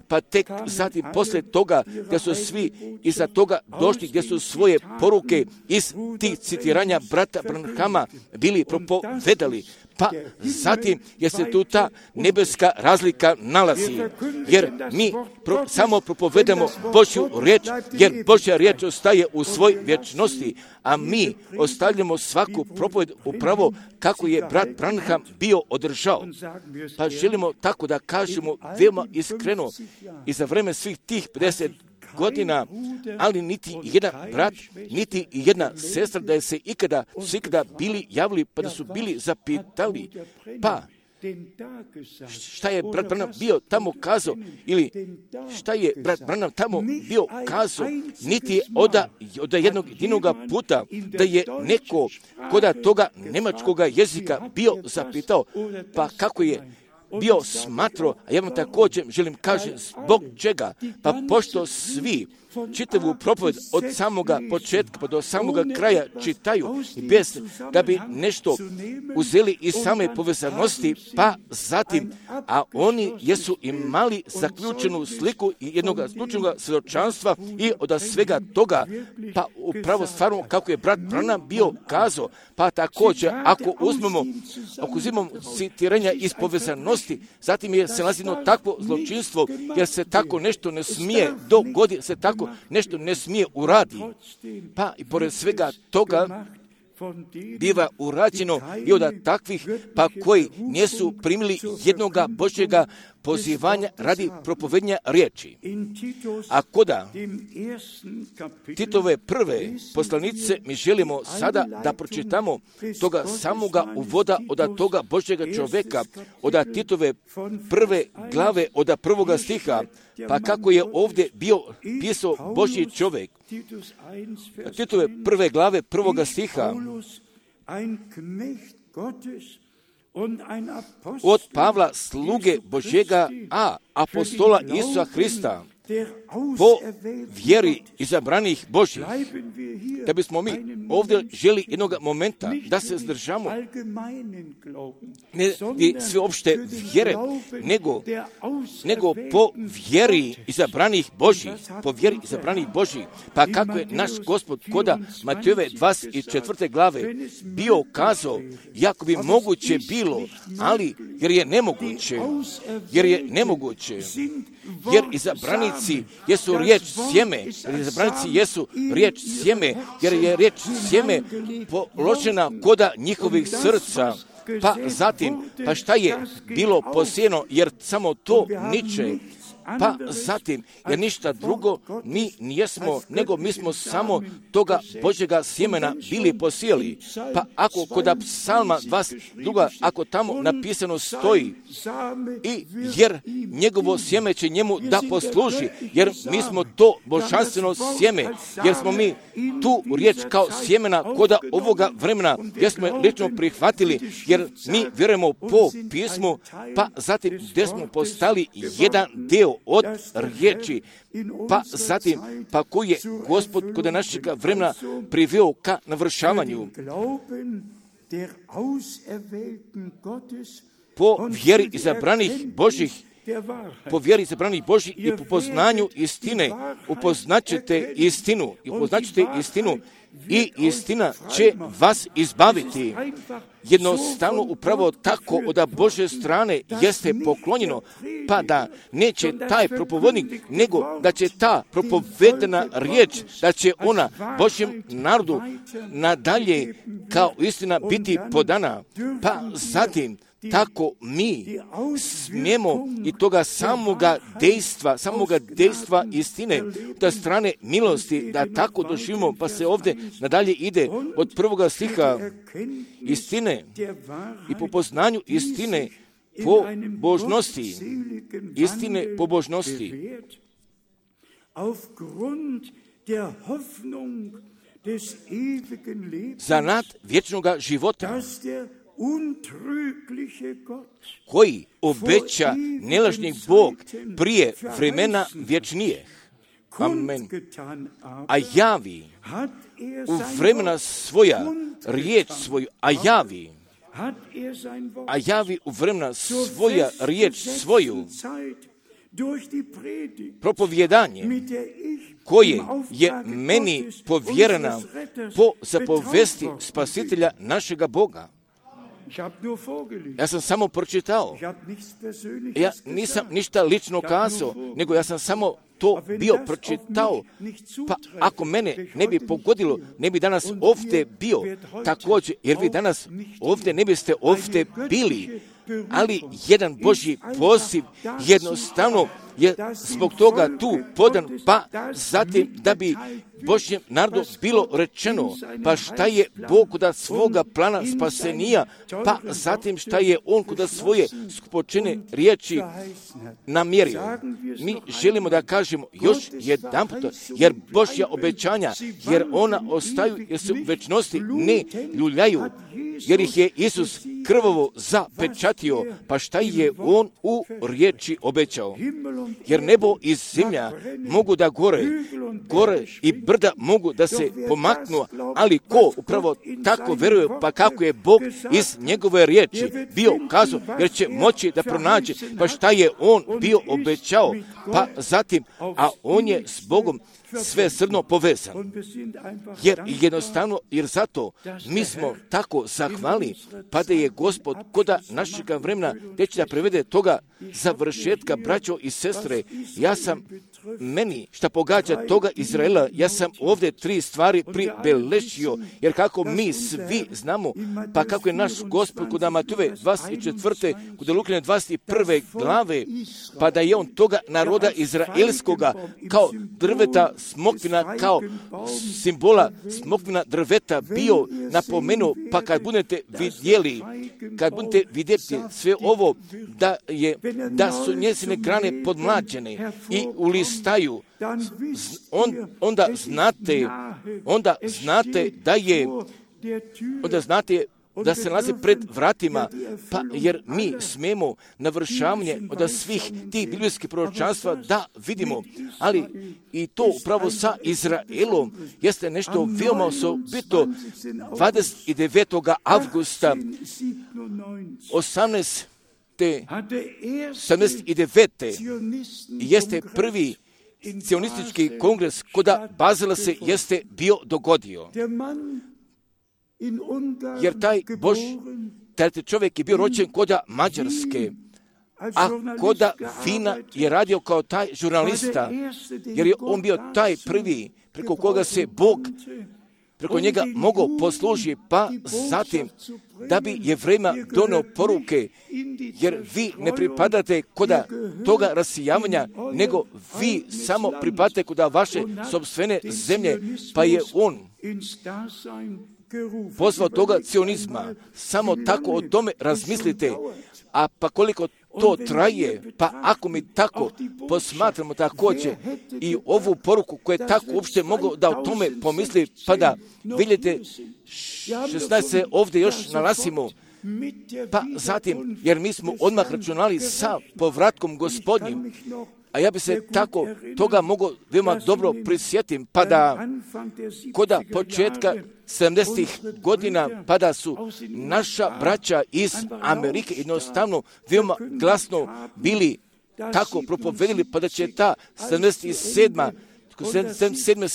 Pa tek zatim posle toga, gdje su svi iza toga došli, gdje su svoje poruke iz tih citiranja brata Branhama bili propovedali. Pa zatim je se tu ta nebeska razlika nalazi, jer mi pro, samo propovedamo Božju riječ, jer Božja riječ ostaje u svoj vječnosti, a mi ostavljamo svaku propoved upravo kako je brat Branham bio održao. Pa želimo tako da kažemo veoma iskreno i za vreme svih tih pedeset godina, ali niti jedan brat, niti jedna sestra da je se ikada, su ikada bili javili, pa da su bili zapitali, pa šta je brat Branham bio tamo kazao, ili šta je brat Branham tamo bio kazao, niti je oda, oda jednog jedinog puta da je neko koda toga nemačkoga jezika bio zapitao, pa kako je bio smatro, a ja vam također želim kažem zbog čega, pa pošto svi čitavu propoved od samoga početka pa do samoga kraja čitaju i bez da bi nešto uzeli iz same povezanosti, pa zatim, a oni jesu imali zaključenu sliku i jednog zaključenog svjedočanstva i od svega toga, pa upravo stvarno kako je brat Branham bio kazao, pa također ako uzmemo, ako uzimamo citiranja iz povezanosti, zatim je se nalazilo takvo zločinstvo, jer se tako nešto ne smije dogoditi, se tako nešto ne smije uradi. Pa i pored svega toga biva urađeno i od takvih pa koji nisu primili jednoga Božjega pozivanja radi propovednja riječi. A koda Titove prve poslanice mi želimo sada da pročitamo toga samoga uvoda od toga Božjega čovjeka, od Titove prve glave od prvoga stiha, pa kako je ovdje bio pisao Božji čovjek. Titove prve glave prvoga stiha, od Pavla sluge Božjega, a apostola Isusa Hrista, po vjeri izabranih Božjih. Da bismo mi ovdje želi jednog momenta da se zdržamo ne i sveopšte vjere, nego, nego po vjeri izabranih Božjih, po vjeri izabranih Božjih. Pa kako je naš Gospod koda Matejove dvadeset četvrte glave bio kazao, jako bi moguće bilo, ali jer je nemoguće, jer je nemoguće, jer izabranici jesu riječ sjeme, jer izabranici jesu riječ sjeme, jer je riječ sjeme položena koda njihovih srca. Pa zatim, pa šta je bilo posijeno, jer samo to niče. Pa zatim, jer ništa drugo mi nijesmo, nego mi smo samo toga Božjega sjemena bili posijeli. Pa ako kod psalma dvadeset dva, ako tamo napisano stoji, i jer njegovo sjeme će njemu da posluži, jer mi smo to božanstveno sjeme, jer smo mi tu riječ kao sjemena koda ovoga vremena, jer smo je lično prihvatili, jer mi vjerujemo po pismu, pa zatim gdje smo postali jedan dio od riječi, pa zatim, pa koji je Gospod kod našeg vremena priveo ka navršavanju. Po vjeri izabranih Božih, po vjeri izabranih Božih i po poznanju istine, upoznaćete istinu, i upoznaćete istinu, i istina će vas izbaviti. Jednostavno upravo tako od Božje strane jeste poklonjeno, pa da neće taj propovednik, nego da će ta propovedena riječ, da će ona Božjem narodu nadalje kao istina biti podana. Pa zatim tako mi smijemo i toga samoga dejstva, samoga dejstva istine, da strane milosti, da tako doživimo, pa se ovdje nadalje ide od prvoga stiha istine i po poznanju istine po božnosti, istine po božnosti. za nad vječnoga života, koji obeća nelažni Bog prije vremena vječnije. Amen. A javi u vremena svoja riječ svoju, a javi, a javi u vremena svoja riječ svoju, propovjedanje koje je meni povjerena po zapovesti Spasitelja našega Boga. Ja sam samo pročitao. Ja nisam ništa lično kazao, nego ja sam samo to bio pročitao. Pa ako mene ne bi pogodilo, ne bi danas ovdje bio također, jer vi danas ovdje ne biste ovdje bili. Ali jedan Božji poziv jednostavno je zbog toga tu podan, pa zatim da bi Božjem narodu bilo rečeno, pa šta je Bog kod svoga plana spasenija, pa zatim šta je On kod svoje skupočene riječi namjerio. Mi želimo da kažemo još jedan puta, jer Božja obećanja, jer ona ostaju, jer se u večnosti ne ljuljaju, jer ih je Isus krvavo zapečatio, pa šta je On u riječi obećao. Jer nebo i zemlja mogu da gore, gore i brda mogu da se pomaknu, ali ko upravo tako veruje, pa kako je Bog iz njegove riječi bio kazao, jer će moći da pronađe, pa šta je On bio obećao, pa zatim, a On je s Bogom sve srdno povezan. Jer jednostavno, jer zato mi smo tako zahvali, pa da je Gospod koda našega vremena teći da prevede toga završetka, braćo i sestre. Ja sam meni šta pogađa toga Izraela, ja sam ovdje tri stvari pribeležio, jer kako mi svi znamo, pa kako je naš Gospod kod Matove dvadeset četvrte, kod Lukine dvadeset prve glave, pa da je On toga naroda izraelskoga kao drveta smokvina, kao simbola smokvina drveta bio napomenuo, pa kad budete vidjeli, kad budete vidjeti sve ovo, da, je, da su njezine grane podmlađene i ulistaju, on, onda znate, onda znate da je, onda znate da se nalazi pred vratima, pa jer mi smemo navršavanje od svih tih biblijskih proročanstva da vidimo, ali i to upravo sa Izraelom jeste nešto veoma osobito. dvadeset devetog avgusta osamnaeste sedamdeset devete jeste prvi cionistički kongres koda Bazela se jeste bio dogodio. Jer taj Bož, taj čovjek je bio rođen koda Mađarske, a koda Fina je radio kao taj žurnalista, jer je on bio taj prvi preko koga se Bog preko njega mogao poslužiti, pa zatim da bi Jevrejima donio poruke, jer vi ne pripadate koda toga rasijavanja, nego vi samo pripadate koda vaše sopstvene zemlje, pa je on pozvao toga cionizma. Samo tako o tome razmislite, a pa koliko to traje, pa ako mi tako posmatramo također i ovu poruku koja je tako uopšte mogao da o tome pomisli, pa da vidite šesnaest se ovdje još nalazimo, pa zatim, jer mi smo odmah računali sa povratkom Gospodnjim, a ja bi se tako toga mogao veoma dobro prisjetim, pa da koda početka sedamdesetih godina, pa da su naša braća iz Amerike jednostavno veoma glasno bili tako propovedili, pa da će ta sedamdeset sedma sedamdeset sedme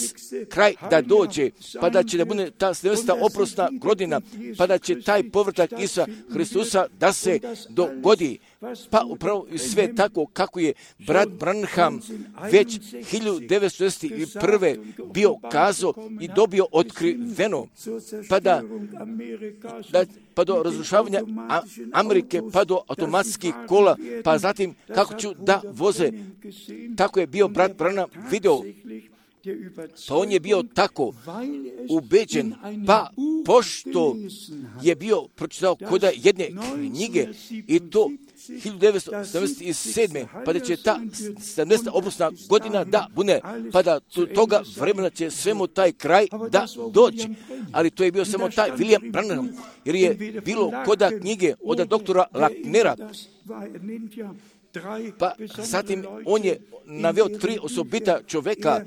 kraj da dođe, pa da će da bude ta sedamdeseta oprosna godina, pa da će taj povratak Isusa Hristusa da se dogodi. Pa upravo sve tako kako je brat Branham već hiljadu devetsto šezdeset prve bio kazao i dobio otkriveno, pa da, da pa do razrušavanja Amerike, pa do automatskih kola, pa zatim kako ću da voze. Tako je bio brat Branham video Pa on je bio tako ubeđen, pa pošto je bio pročitao kod jedne knjige i to hiljadu devetsto sedamdeset sedme pa da će ta sedamdeseta obrusna godina da bude, pa da do toga vremena će svemu taj kraj da doći. Ali to je bio samo taj William Branham, jer je bilo koda knjige od doktora Lacknera. Pa zatim on je naveo tri osobita čoveka,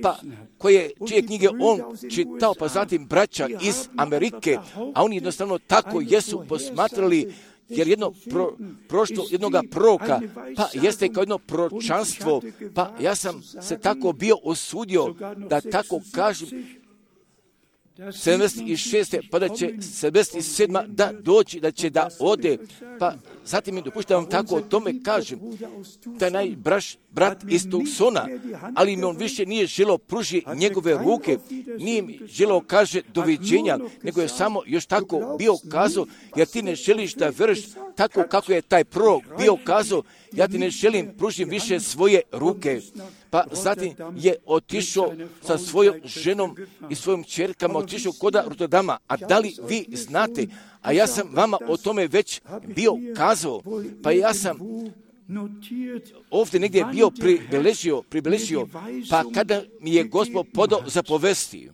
pa koje, čije knjige on čitao, pa zatim braća iz Amerike, a oni jednostavno tako jesu posmatrali, jer jedno pro, prošto jednoga proroka, pa jeste kao jedno proročanstvo, pa ja sam se tako bio osudio da tako kažem, sedamdeset šeste pa da će sedamdeset sedma da doći, da će da ode, pa zatim mi dopušta vam tako o tome kažem, taj najbraš brat iz Tucsona, ali mi on više nije želeo pruži njegove ruke, nije mi želeo kaže doviđenja, nego je samo još tako bio kazao, jer ti ne želiš da veruješ tako kako je taj prorok bio kazao, ja ti ne želim pružim više svoje ruke. Pa zatim je otišao sa svojom ženom i svojim čerkama, otišao koda Rotterdama. A da li vi znate, a ja sam vama o tome već bio kazao, pa ja sam ovdje negdje bio pribeležio, pribeležio, pa kada mi je Gospod podao zapovesti,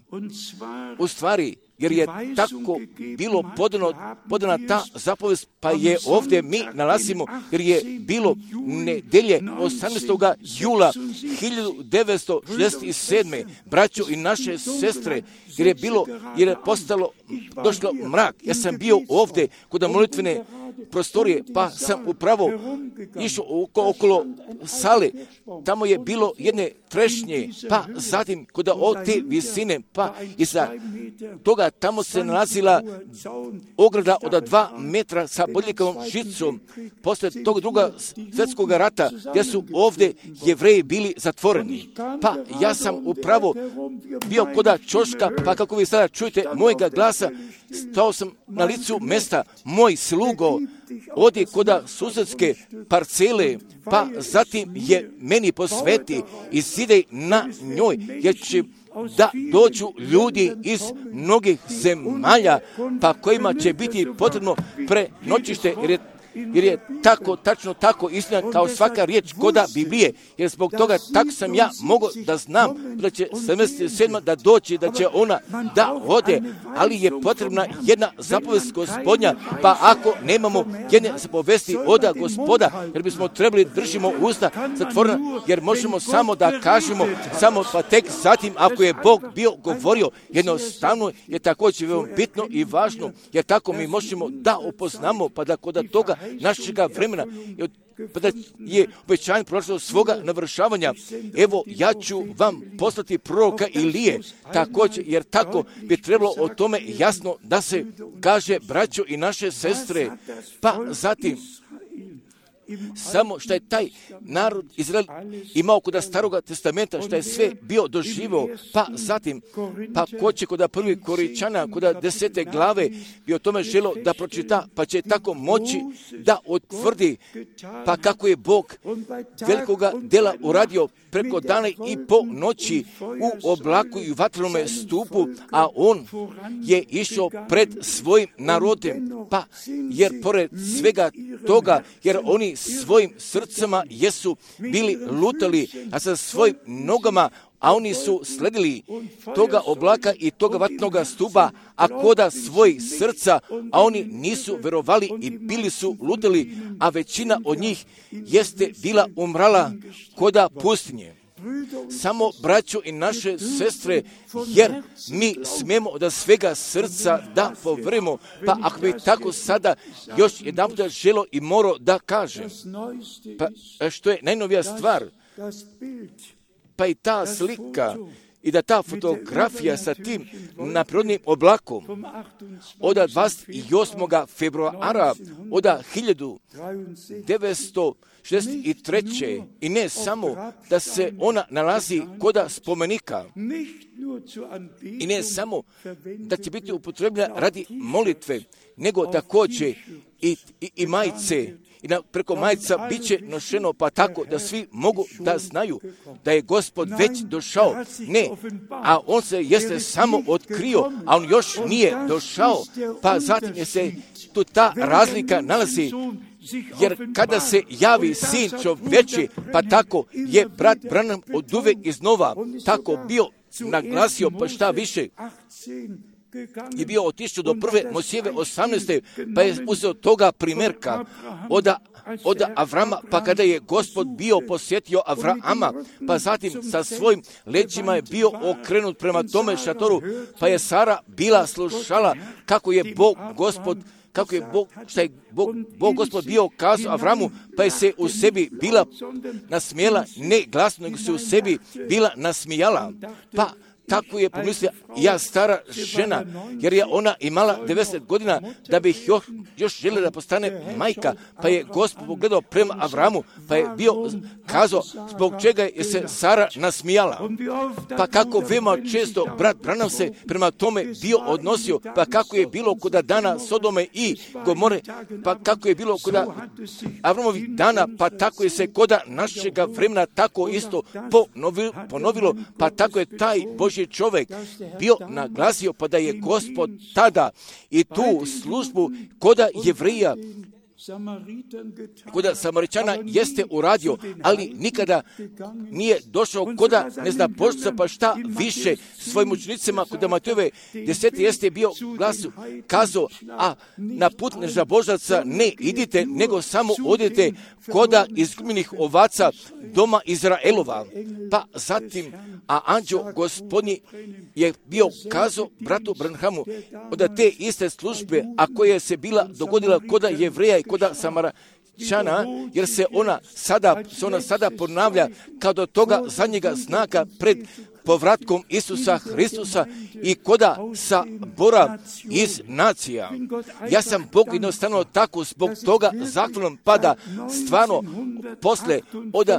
u stvari, jer je tako bilo podano, podana ta zapovest, pa je ovdje mi nalazimo, jer je bilo nedelje osamnaestog jula hiljadu devetsto šezdeset sedme braćo i naše sestre, jer je bilo, jer je postalo, došlo mrak. Ja sam bio ovdje kod molitvene prostorije, pa sam upravo išao oko, okolo sale, tamo je bilo jedne trešnje, pa zatim kod te visine, pa iza toga tamo se nalazila ograda od dva metra sa bodljikavom žicom, posle tog druga svjetskog rata, gdje su ovdje Jevreji bili zatvoreni. Pa ja sam upravo bio koda čoška, pa kako vi sada čujete mojega glasa, stao sam na licu mesta, moj slugo, odi koda susedske parcele, pa zatim je meni posveti i sidej na njoj, jer će da dođu ljudi iz mnogih zemalja, pa kojima će biti potrebno prenoćište, jer je jer je tako, tačno tako istina kao svaka riječ koda Biblije, jer zbog toga tako sam ja mogao da znam da će sedamdeset sedma da doći, da će ona da ode, ali je potrebna jedna zapovest Gospodnja, pa ako nemamo jedne zapovesti oda Gospoda, jer bismo trebali držimo usta zatvorena, jer možemo samo da kažemo, samo pa tek zatim ako je Bog bio govorio, jednostavno je također veoma bitno i važno, jer tako mi možemo da upoznamo, pa da kod toga našega vremena pa da je obećanje prošlo svoga navršavanja. Evo, ja ću vam poslati proroka Ilije, također, jer tako bi trebalo o tome jasno da se kaže, braćo i naše sestre. Pa zatim, samo što je taj narod Izrael imao kod staroga testamenta, što je sve bio doživio, pa zatim, pa ko će kod prvi Koričana, kod desete glave, bi o tome želo da pročita, pa će tako moći da utvrdi, pa kako je Bog velikoga dela uradio preko dana i po noći u oblaku i vatrenome stupu, a on je išao pred svojim narodem, pa jer pored svega toga, jer oni svojim srcama jesu bili lutali, a sa svojim nogama, a oni su sledili toga oblaka i toga vatnoga stupa, a koda svojih srca, a oni nisu verovali i bili su lutali, a većina od njih jeste bila umrala koda pustinje. Samo braćo i naše sestre, jer mi smemo od svega srca da povremo, pa ako bi tako sada još jedan puta želo i morao da kažem, pa što je najnovija stvar, pa i ta slika i da ta fotografija sa tim naprirodnim oblakom od dvadeset osmog februara od hiljadu devetsto šezdeset treće i ne samo da se ona nalazi koda spomenika i ne samo da će biti upotrebljena radi molitve, nego također i, i, i majice i na, preko majica bit će nošeno, pa tako da svi mogu da znaju da je Gospod već došao. Ne, a on se jeste samo otkrio, a on još nije došao, pa zatim je se tu ta razlika nalazi. Jer kada se javi sin čovječi, pa tako je brat Branham oduvek iznova tako bio naglasio, pa šta više, je bio otišao do prve Mojsijeve osamnaeste, pa je uzeo toga primjerka od, od Avrama, pa kada je Gospod bio posjetio Avrama, pa zatim sa svojim leđima je bio okrenut prema tome šatoru, pa je Sara bila slušala kako je Bog Gospod kako je Bog, šta je Bog, Bog Gospod bio kazao Avramu, pa je se u sebi bila nasmijela, ne glasno, nego se u sebi bila nasmijala. Pa tako je pomislila, ja stara žena, jer je ona imala devedeset godina, da bi još, još željela da postane majka, pa je Gospod pogledao prema Avramu, pa je bio kazao zbog čega je se Sara nasmijala. Pa kako veoma često brat Branham se prema tome bio odnosio, pa kako je bilo kod dana Sodome i Gomore, pa kako je bilo kod Avramovih dana, pa tako je se kod našega vremena tako isto ponovilo, ponovilo, pa tako je taj Božji čovjek bio naglasio, pa da je Gospod tada i tu službu koda Jevrija, koda Samaričana jeste uradio, ali nikada nije došao koda neznapoštica, pa šta više svojim učenicima koda Matejove deseti jeste bio glasu kazao, a na put neznabožaca ne idite, nego samo odite koda izgubljenih ovaca doma Izraelova. Pa zatim, a anđeo Gospodnji je bio kazao bratu Branhamu od te iste službe, a koja se bila dogodila koda Jevreja i koda Samaričana, jer se ona sada, se ona sada ponavlja kao do toga zadnjega znaka pred povratkom Isusa Hristusa i koda sabora iz nacija. Ja sam Bog jednostavno tako zbog toga zahvalan, pa da stvarno posle od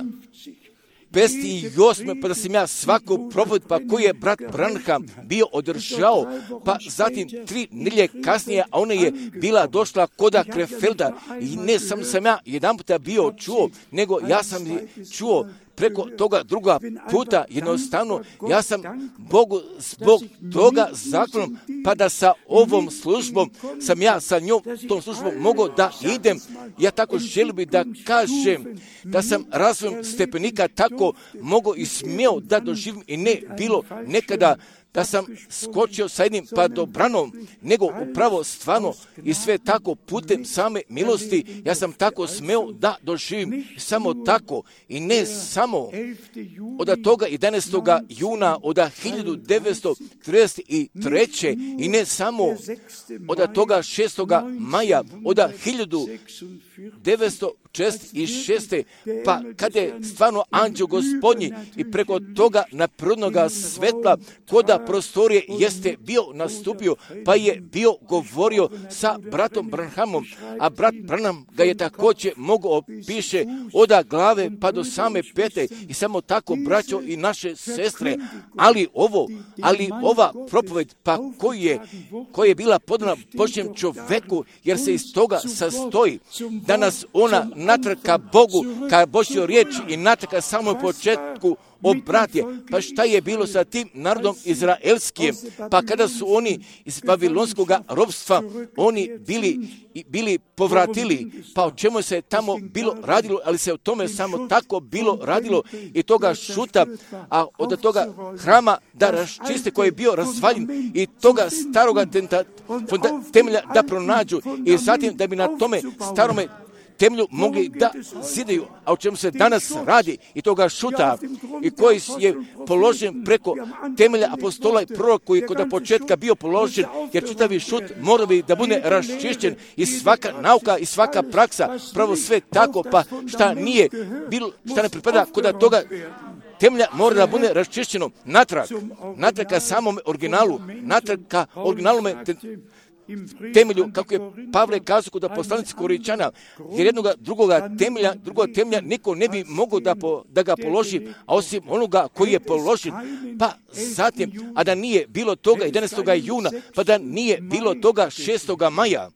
pedeset osme pa da sam ja svaku propoved, pa koji je brat Branham bio održao, pa zatim tri nelje kasnije, a ona je bila došla koda Krefelda i ne sam sam ja jedan puta bio čuo, nego ja sam je čuo preko toga druga puta, jednostavno, ja sam Bogu zbog toga zahvalan, pa da sa ovom službom, sam ja sa njom, tom službom, mogao da idem. Ja tako želim bi da kažem, da sam razvojem stepenika tako mogao i smio da doživim i ne bilo nekada da sam skočio sa jednim padobranom, nego upravo stvarno i sve tako putem same milosti, ja sam tako smeo da doživim samo tako i ne samo od toga jedanaestog juna od hiljadu devetsto trideset treće i ne samo od toga šestog maja od hiljadu devetsto četrdeset šeste. Pa kada je stvarno anđeo Gospodnji i preko toga naprirodnoga svetla koda prostorije jeste bio nastupio, pa je bio govorio sa bratom Branhamom, a brat Branham ga je također mogao opiše od glave pa do same pete i samo tako braćo i naše sestre, ali ovo, ali ova propoved, pa koji je, koja je bila podana Božjem čoveku, jer se iz toga sastoji da nas ona natrag ka Bogu, ka Božjoj riječi i natrag ka samom početku obratije. Pa šta je bilo sa tim narodom izraelskim? Pa kada su oni iz babilonskog ropstva, oni bili, bili povratili, pa o čemu se tamo bilo radilo, ali se o tome samo tako bilo radilo i toga šuta, a od toga hrama da raščiste koji je bio razvaljen i toga staroga tenta, temelja da pronađu i zatim da bi na tome starome temelju mogli da zidaju, a o čemu se danas radi i toga šuta i koji je položen preko temelja apostola i proroka koji je kod početka bio položen, jer čitavi šut mora bi da bude raščišćen i svaka nauka i svaka praksa, pravo sve tako, pa šta nije bilo, šta ne pripada kod toga temelja mora da bude raščišćeno natrag, natrag ka samom originalu, natrag ka originalome te, temelju, kako je Pavle kazao kod poslanici Korinčana, jer jednog drugoga temelja, drugog temelja niko ne bi mogao da, po, da ga položi, a osim onoga koji je položen. Pa zatim, a da nije bilo toga jedanaestog juna, pa da nije bilo toga šestog maja,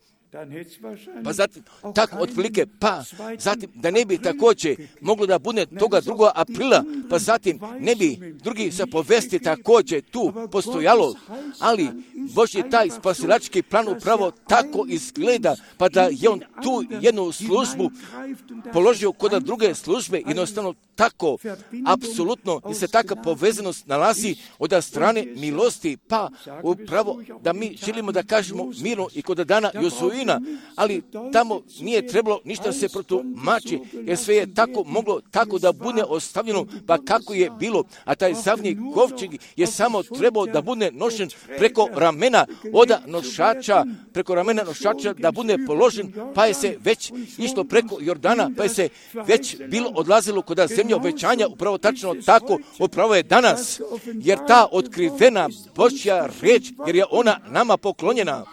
Pa zatim, tako otprilike, pa zatim da ne bi također moglo da bude toga drugog aprila, pa zatim ne bi drugi se povesti također tu postojalo, ali Božji taj spasilački plan upravo tako izgleda, pa da je on tu jednu službu položio kod druge službe, jednostavno tako, apsolutno, i se taka povezanost nalazi od strane milosti, pa upravo da mi želimo da kažemo mirno i kod dana Josuina, ali tamo nije trebalo ništa se protumači, jer sve je tako moglo tako da bude ostavljeno, pa kako je bilo, a taj savnji kovčeg je samo trebao da bude nošen preko ramena od nošača, preko ramena nošača da bude položen, pa je se već išlo preko Jordana, pa je se već bilo odlazilo kod zemlje obećanja, upravo tačno tako, upravo je danas, jer ta otkrivena Božja riječ, jer je ona nama poklonjena.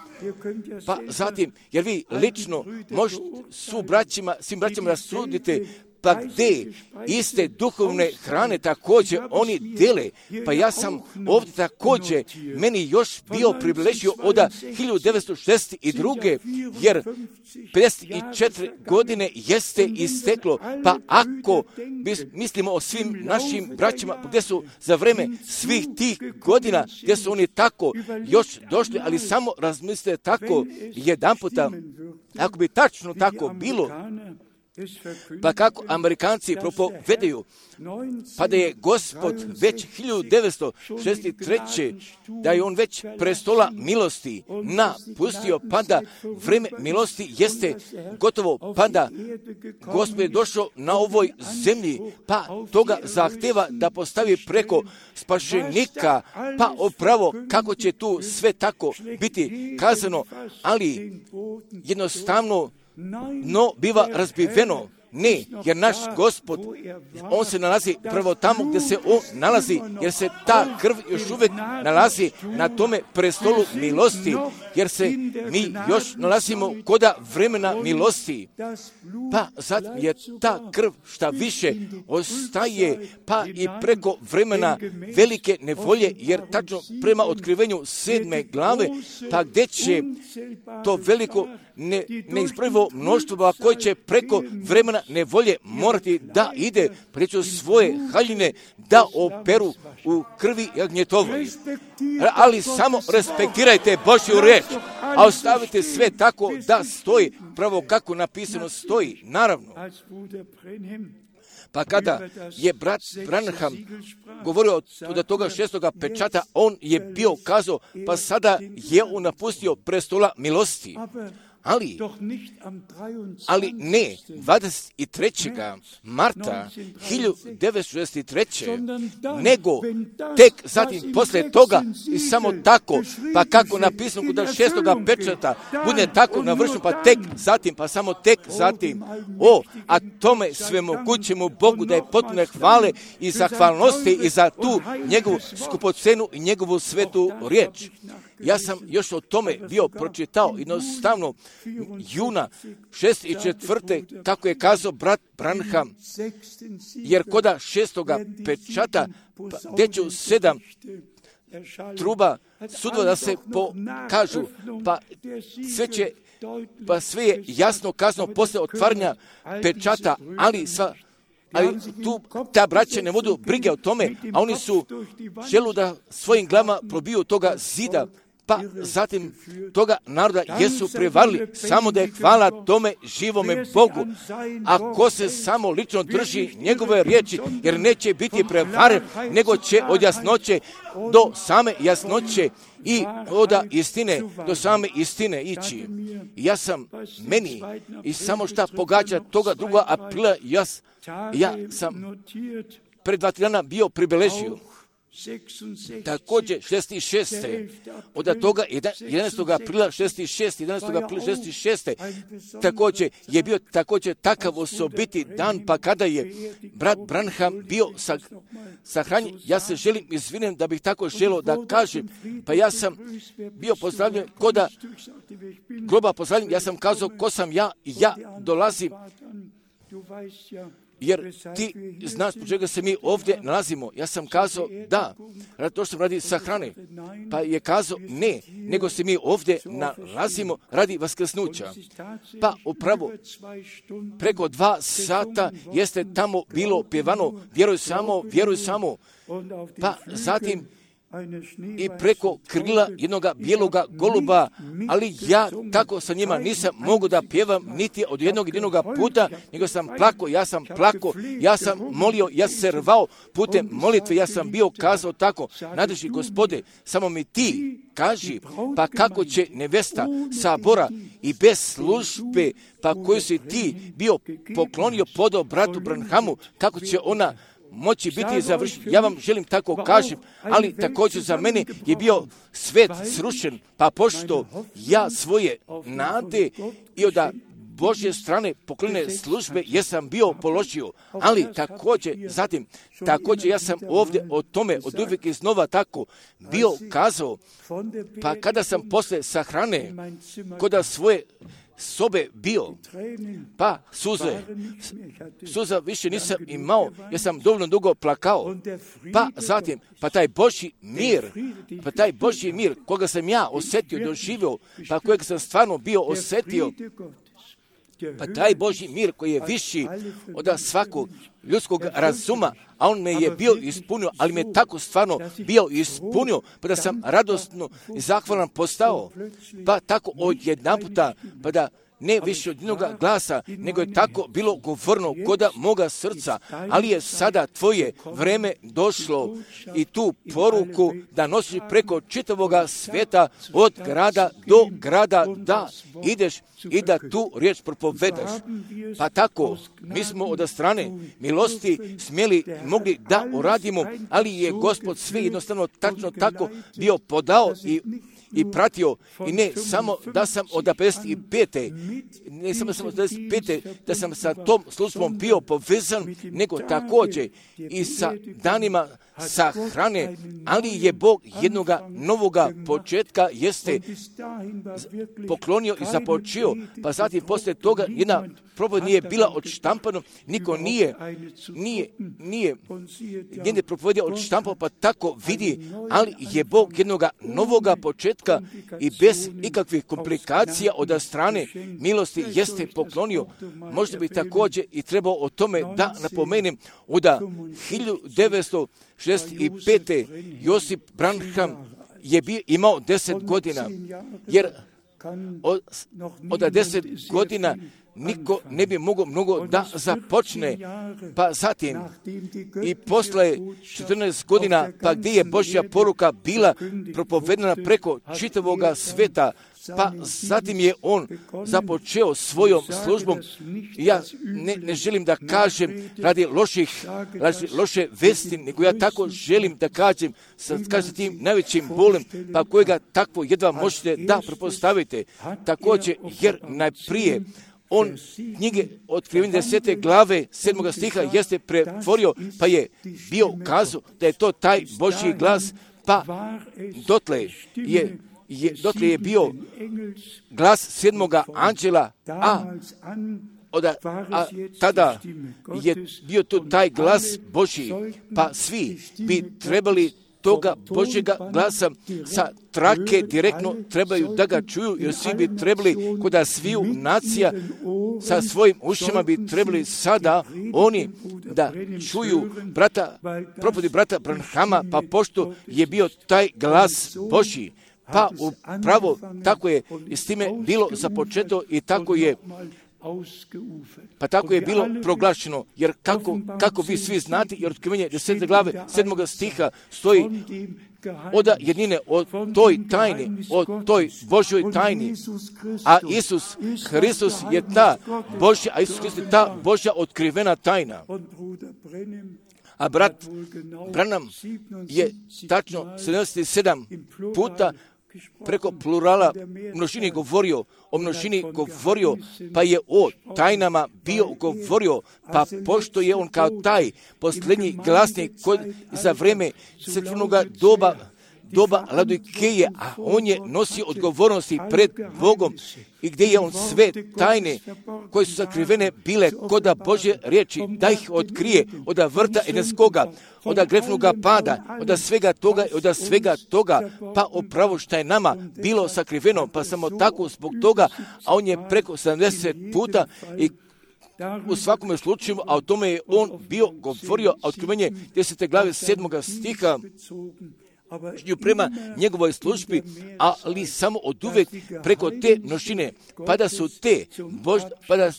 Pa zatim, jer vi lično možete su braćima, svim braćima rasudite, pa gdje iste duhovne hrane također oni dele. Pa ja sam ovdje također, meni još bio privilegio od hiljadu devetsto šezdeset druge jer pedeset četiri godine jeste isteklo. Pa ako mislimo o svim našim braćima, gdje su za vreme svih tih godina, gdje su oni tako još došli, ali samo razmislite tako jedan puta, ako bi tačno tako bilo, pa kako Amerikanci propovedaju, pa da je Gospod već hiljadu devetsto šezdeset treće da je on već prestola milosti napustio, pa da vreme milosti jeste gotovo, pa da Gospod je došao na ovoj zemlji, pa toga zahteva da postavi preko spašenika, pa upravo kako će tu sve tako biti kazano, ali jednostavno no biva razbiveno. Ne, jer naš Gospod, on se nalazi prvo tamo gdje se on nalazi, jer se ta krv još uvijek nalazi na tome prestolu milosti, jer se mi još nalazimo kod vremena milosti. Pa sad je ta krv šta više ostaje, pa i preko vremena velike nevolje, jer tačno prema otkrivenju sedme glave, pa gdje će to veliko ne, neizbrojivo mnoštvo koje će preko vremena nevolje morati da ide preko svoje haljine da operu u krvi jagnjetovoj. Ali samo respektirajte Božju riječ, a ostavite sve tako da stoji, pravo kako napisano stoji, naravno. Pa kada je brat Branham govorio od toga šestoga pečata, on je bio kazao, pa sada je on napustio prestola milosti. Ali, ali ne dvadeset trećeg marta hiljadu devetsto šezdeset treće nego tek zatim poslije toga i samo tako, pa kako napisano kod šestoga pečata bude tako navršeno, pa tek zatim, pa samo tek zatim. O, a tome svemogućemu Bogu da je potpuno hvale i zahvalnosti i za tu njegovu skupocenu i njegovu svetu riječ. Ja sam još o tome bio pročitao jednostavno juna šezdeset četvrte kako je kazao brat Branham, jer koda šestoga pečata gdje ću sedam truba sudova da se pokažu, pa sve će, pa sve je jasno kazano poslije otvaranja pečata, ali sva ali tu ta braća ne vodu brige o tome, a oni su želu da svojim glavama probiju toga zida, pa zatim toga naroda jesu prevarili, samo da je hvala tome živome Bogu. Ako se samo lično drži njegove riječi, jer neće biti prevaren, nego će od jasnoće do same jasnoće i od istine do same istine ići. Ja sam meni i samo šta pogađa toga druga aprila, ja, ja sam pred dva dana bio pribeležio. Također šezdeset šeste od toga jedanaestog aprila šezdeset šeste jedanaestog aprila šezdeset šeste također je bio također takav osobiti dan, pa kada je brat Branham bio sahranjen, ja se želim izvinem da bih tako želio da kažem, pa ja sam bio pozdravljen koda groba pozdravljen, ja sam kazao ko sam ja i ja dolazim jer ti znaš po čega se mi ovdje nalazimo. Ja sam kazao da, radi to što radi sahrane. Pa je kazao ne, nego se mi ovdje nalazimo radi vaskrsnuća. Pa upravo preko dva sata jeste tamo bilo pjevano, vjeruj samo, vjeruj samo. Pa zatim i preko krila jednoga bijeloga goluba, ali ja tako sa njima nisam mogu da pjevam niti od jednog jedinoga puta, nego sam plako, ja sam plako, ja sam molio, ja sam se rvao putem molitve, ja sam bio kazao tako, nadreši Gospode, samo mi ti kaži, pa kako će nevesta sabora i bez službe, pa koju si ti bio poklonio podao bratu Branhamu, kako će ona moći biti završen. Ja vam želim tako kažem, ali također za mene je bio svet srušen, pa pošto ja svoje nade i od Božje strane poklone službe jesam bio položio, ali također, zatim, također ja sam ovdje o tome od uvijek iznova tako bio kazao, pa kada sam posle sahrane koda svoje sobe bio, pa suze, suza više nisam imao, jer sam dovoljno dugo plakao, pa zatim, pa taj Božji mir, pa taj Božji mir, koga sam ja osjetio, doživio, pa kojeg sam stvarno bio osjetio, pa taj Božji mir koji je viši od svakog ljudskog razuma, a on me je bio ispunio, ali me tako stvarno bio ispunio, pa da sam radosno i zahvalan postao, pa tako odjedanputa, pa da ne više od jednog glasa, nego je tako bilo govorno koda moga srca, ali je sada tvoje vreme došlo i tu poruku da nosiš preko čitavoga sveta od grada do grada, da ideš i da tu riječ propovedaš. Pa tako, mi smo od strane milosti smjeli mogli da uradimo, ali je Gospod sve jednostavno tačno tako bio podao i i pratio, i ne samo da sam od pedeset pete ne samo samo od pedeset pete da sam sa tom službom bio povezan, nego također i sa danima sahrane, ali je Bog jednoga novoga početka jeste poklonio i započeo, pa zatim poslije toga jedna propoved nije bila odštampana, niko nije, nije, nije, nije propovedio odštampao, pa tako vidi, ali je Bog jednoga novoga početka i bez ikakvih komplikacija od strane milosti jeste poklonio. Možda bi također i trebao o tome da napomenem, od hiljadu devetsto šezdeset pete Josip Branham je bio, imao deset godina, jer od, od deset godina niko ne bi mogao mnogo da započne, pa zatim i posle četrnaest godina, pa gdje je Božja poruka bila propovedana preko čitavoga sveta, pa zatim je on započeo svojom službom. Ja ne, ne želim da kažem radi loših, radi loše vesti, nego ja tako želim da kažem sa, kažem tim najvećim bolem, pa kojega takvo jedva možete da prepostavite. Također, jer najprije on knjige Otkrivenja desete glave sedmoga stiha jeste pretvorio, pa je bio kazao da je to taj Božji glas, pa dotle je, je, dotle je bio glas sedmoga anđela, a, od, a tada je bio to taj glas Božji, pa svi bi trebali toga Božjega glasa sa trake direktno trebaju da ga čuju, jer svi bi trebali koda sviju nacija sa svojim ušima bi trebali sada oni da čuju brata, propovedi brata Branhama, pa pošto je bio taj glas Božji, pa upravo tako je i s time bilo započeto i tako je Pa tako je bilo proglašeno, jer kako, kako vi svi znate, jer Otkrivenje desete glave sedmoga stiha stoji od jednine, o toj tajni, o toj Božjoj tajni, a Isus Hristos je ta Božja, a Isus Hristos je ta Božja otkrivena tajna. A brat Branham je tačno sedamdeset sedam puta preko plurala množini govorio, o množini govorio, pa je o tajnama bio govorio, pa pošto je on kao taj posljednji glasnik kod, za vreme crkvenog doba doba Laodikeje, a on je nosio odgovornosti pred Bogom i gdje je on sve tajne koje su sakrivene bile koda Božje riječi, da ih otkrije od vrta Edenskoga, od grefnoga pada, od svega toga i od svega toga, pa upravo što je nama bilo sakriveno, pa samo tako zbog toga, a on je preko sedamdeset puta i u svakome slučaju, a o tome je on bio govorio, a otkrivenje desete glave sedmoga stiha, prema njegovoj službi, ali samo od uvek preko te množine, pa da su te, Bož, pa da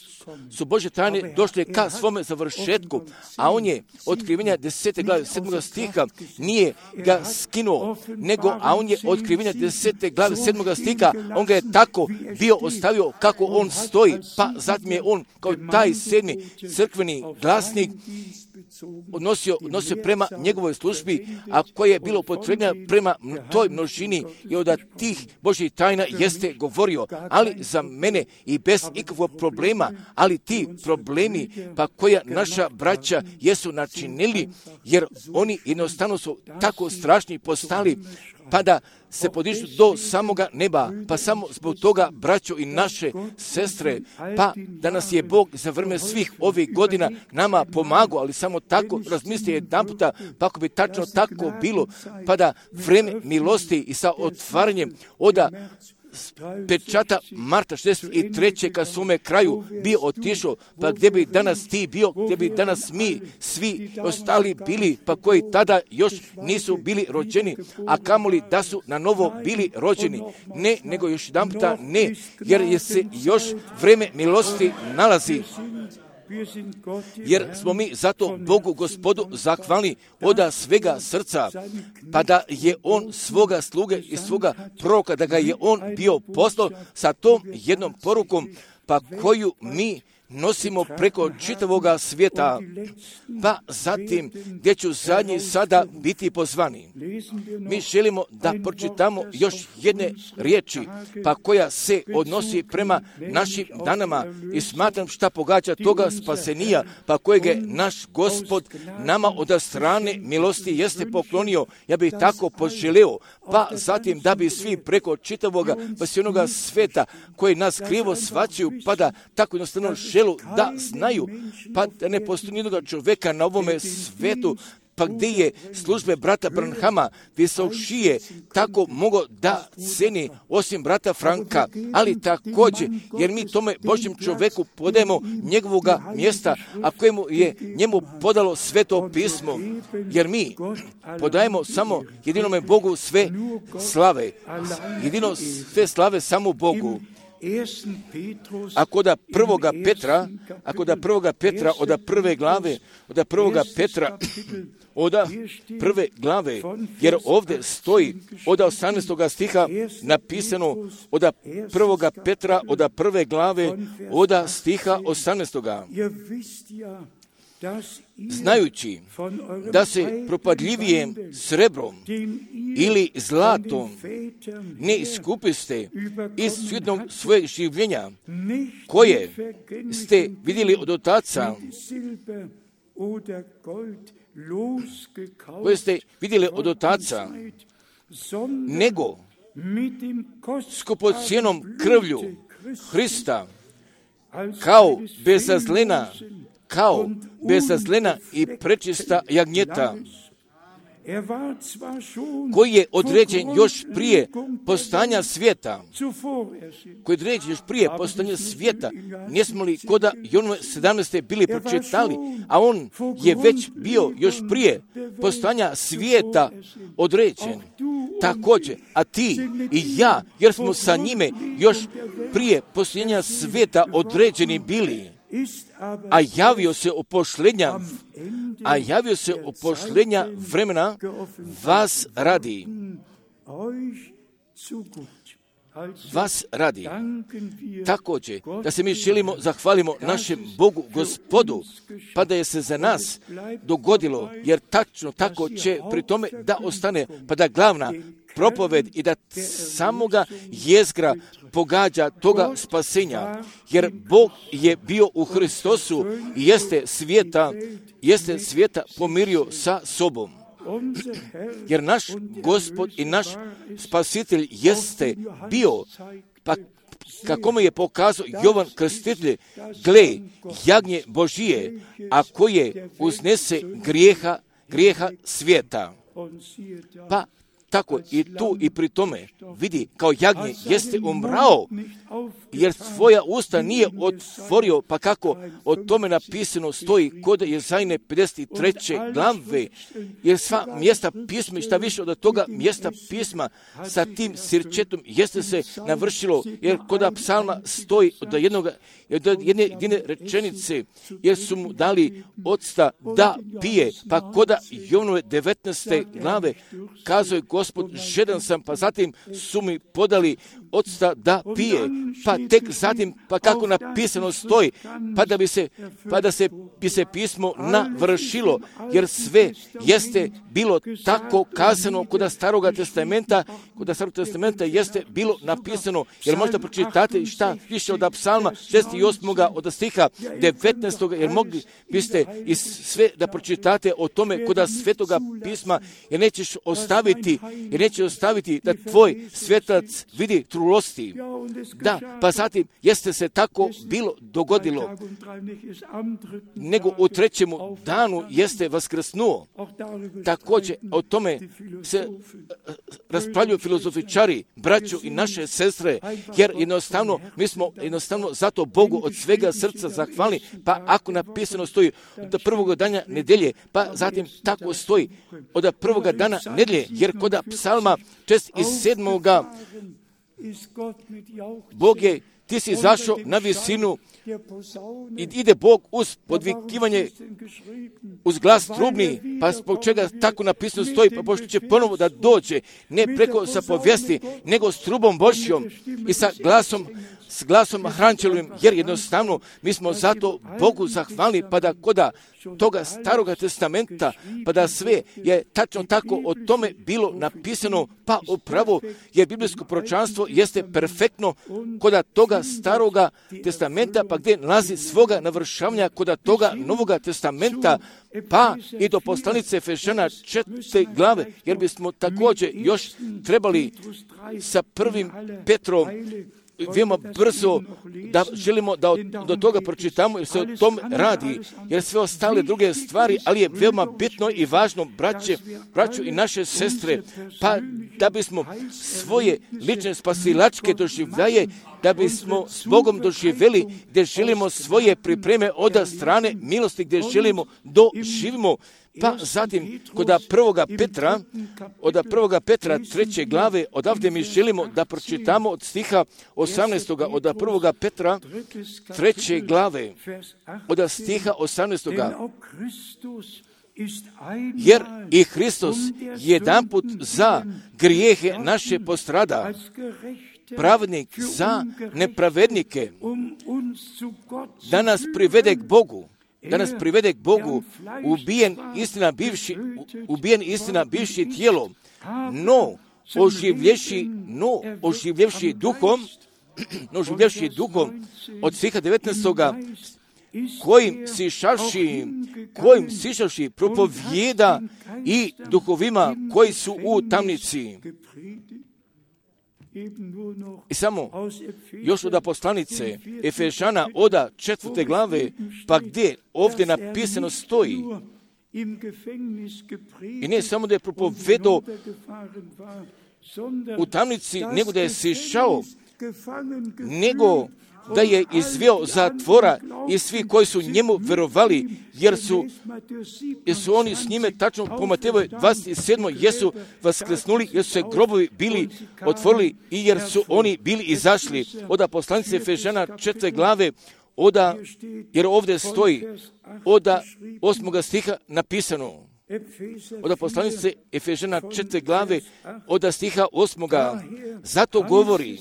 su Božje tajne došle ka svome završetku, a on je otkrivenja desete glave sedmoga stiha nije ga skinuo, nego, a on je otkrivenja desete glave sedmoga stiha, on ga je tako bio ostavio kako on stoji, pa zatim je on kao taj sedmi crkveni glasnik odnosio, odnosio prema njegovoj službi, a koje je bilo potrebno prema toj množini i od tih Božjih tajna jeste govorio, ali za mene i bez ikakvog problema, ali ti problemi pa koja naša braća jesu načinili, jer oni jednostavno su tako strašni postali, pa da se podižu do samoga neba, pa samo zbog toga, braćo i naše sestre, pa da nas je Bog za vreme svih ovih godina nama pomagao, ali samo tako razmisli jedan puta, pa ako bi tačno tako bilo, pa da vreme milosti i sa otvaranjem oda pečata marta šezdeset treće ka svome kraju bio otišao, pa gdje bi danas ti bio, gdje bi danas mi svi ostali bili, pa koji tada još nisu bili rođeni, a kamoli da su na novo bili rođeni. Ne, nego još jedan puta ne, jer je se još vreme milosti nalazi. Jer smo mi zato Bogu Gospodu zahvalni oda svega srca, pa da je on svoga sluge i svoga proroka, da ga je on bio poslao sa tom jednom porukom, pa koju mi nosimo preko čitavoga svijeta, pa zatim gdje ću zadnji sada biti pozvani. Mi želimo da pročitamo još jedne riječi, pa koja se odnosi prema našim danama i smatram šta pogađa toga spasenija, pa kojeg je naš Gospod nama od strane milosti jeste poklonio. Ja bih tako poželeo, pa zatim da bi svi preko čitavoga spasionoga sveta koji nas krivo svaćaju, pa da tako jednostavno želu da znaju, pa da ne postoji nijednog čovjeka na ovome svetu, pa gdje je službe brata Branhama visokšije tako mogo da ceni osim brata Franka, ali također, jer mi tome Božjem čovjeku podajemo njegovoga mjesta, a kojemu je njemu podalo sveto pismo, jer mi podajemo samo jedinome Bogu sve slave, jedino sve slave samo Bogu. Ako da prvoga Petra, ako da prvoga Petra, od prve glave, od prvoga Petra, od prve glave, jer ovdje stoji od osamnaestoga stiha napisano od prvoga Petra, od prve glave, od stiha osamnaestoga. Znajući da se propadljivijem srebrom ili zlatom ne iskupiste iz svjetnog svojeg življenja, koje ste vidjeli od otaca, koje ste vidjeli od otaca, nego skupocjenom krvlju Hrista, kao bezazlena, kao bezazlena i prečista jagnjeta, koji je određen još prije postanja svijeta, koji je određen još prije postanja svijeta, nismo li koda Jonove sedamnaeste bili pročitali, a on je već bio još prije postanja svijeta određen. Također, a ti i ja, jer smo sa njime još prije postojanja svijeta određeni bili, a javio se u pošlenja, a javio se u pošlenja vremena vas radi. Vas radi. Također, da se mi želimo, zahvalimo našem Bogu Gospodu, pa da je se za nas dogodilo, jer tačno tako će pri tome da ostane, pa da glavna propoved i da samoga jezgra pogađa toga spasenja, jer Bog je bio u Hristosu i jeste svijeta, jeste svijeta pomirio sa sobom. Jer naš Gospod i naš Spasitelj jeste bio, pa kako mu je pokazao Jovan Krstitelj, gle, jagnje Božije, a koje uznese grijeha, grijeha svijeta. Pa tako i tu i pri tome vidi, kao jagnje jeste umrao, jer svoja usta nije otvorio, pa kako o tome napisano stoji kod Jezajne pedeset treće glave, jer sva mjesta pisma i šta više od toga mjesta pisma sa tim sirčetom jeste se navršilo, jer kod psalma stoji od jednog, od jedne, jedne rečenice, jer su mu dali octa da pije, pa kod Jovnove devetnaeste glave kazao je Gospod, žedan sam, pa zatim su mi podali octa da pije, pa tek zatim, pa kako napisano stoji, pa da bi se, pa da se bi se pismo navršilo, jer sve jeste bilo tako kazano kod Staroga testamenta, kod Starog testamenta jeste bilo napisano, jer možda pročitate šta više od psalma šezdeset osam od stiha devetnaestog jer mogli biste i sve da pročitate o tome kod Svetoga pisma, jer nećeš ostaviti, jer nećeš ostaviti da tvoj svetac vidi trulosti. Da, pa zatim jeste se tako bilo dogodilo, nego u trećemu danu jeste vaskrsnuo. Također o tome se raspravljaju filozofičari, braćo i naše sestre, jer jednostavno mi smo jednostavno zato Bogu od svega srca zahvalni, pa ako napisano stoji od prvog dana nedelje, pa zatim tako stoji od prvog dana nedelje, jer kod psalma šezdeset sedam Bog je, ti si zašao na visinu i ide Bog uz podvikivanje, uz glas trubni, pa zbog čega tako napisano stoji, pa pošto će ponovo da dođe, ne preko sa povijesti, nego s trubom Božjom i sa glasom, s glasom hrančelovim, jer jednostavno mi smo zato Bogu zahvalni, pa da koda toga Staroga testamenta, pa da sve je tačno tako o tome bilo napisano, pa upravo je biblijsko proročanstvo jeste perfektno koda toga Staroga testamenta, pa gdje nalazi svoga navršavanja koda toga Novoga testamenta, pa i do poslanice Efežana četvrte glave, jer bismo također još trebali sa prvim Petrom veoma brzo da želimo da od, do toga pročitamo, jer se o tom radi, jer sve ostale druge stvari, ali je veoma bitno i važno, braće, braću i naše sestre, pa da bismo svoje lične spasilačke doživljaje, da bismo s Bogom doživjeli, gdje želimo svoje pripreme od strane milosti, gdje želimo doživimo. Pa zatim, kod prvoga Petra, od prvoga Petra treće glave, odavde mi želimo da pročitamo od stiha osamnaestog od prvoga Petra treće glave, od stiha osamnaestog Jer i Hristos jedanput za grijehe naše postrada, pravednik za nepravednike, da nas privede k Bogu. Da nas privede k Bogu, ubijen istina bivši, ubijen istina bivši tijelom, no oživljevši, no oživljevši duhom, no oživljevši duhom od stiha devetnaestog kojim sišavši, kojim sišavši propovjeda i duhovima koji su u tamnici. I samo još od poslanice Efežana oda četvrte glave, pa gdje ovdje napisano stoji, i ne samo da je propovedao u tamnici, nego da je sišao, nego da je izveo zatvora i svi koji su njemu verovali, jer su, jer su oni s njime tačno po Matejevoj dvadeset sedmoj jesu vaskrsnuli, jer su se grobovi bili otvorili i jer su oni bili izašli. Oda poslanice Efežana četvrte glave, oda, jer ovdje stoji, oda osmoga stiha napisano. Oda poslanice Efežana četvrte glave, oda stiha osmoga, zato govori,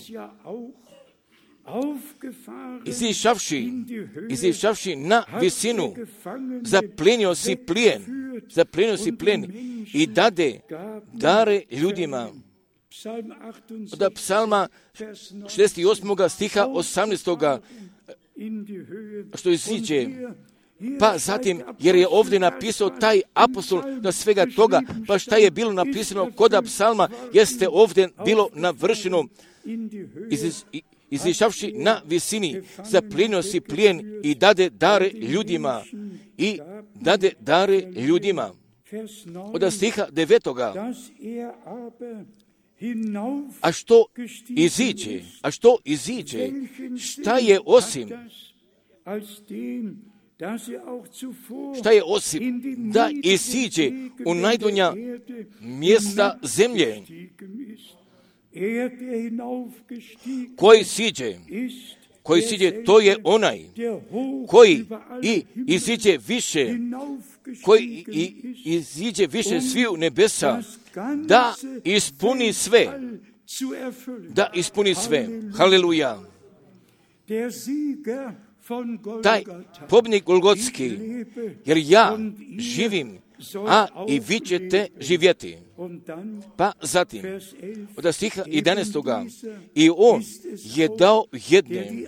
izišavši, izišavši na visinu, zaplenio si plijen, zaplenio si plijen i dade dare ljudima. Od psalma šezdeset osam stiha osamnaestog što iziđe, Pa zatim, jer je ovdje napisao taj apostol na svega toga, pa šta je bilo napisano kod psalma, jeste ovdje bilo navršeno, iz, izišavši na visini, zaplinio si plijen i dade dare ljudima, i dade dare ljudima. Od stiha devetoga, a što iziđe, a što iziđe, šta je osim, šta je osim da isiđe u najdonja mjesta zemlje, koji siđe, koji siđe, to je onaj koji i iziđe više, koji i iziđe više sviju nebesa, da ispuni sve, da ispuni sve. Haleluja. Taj pobjednik Golgotski, jer ja živim, a i vi ćete živjeti. Pa zatim, od stiha jedanaestoga, i on je dao jedne,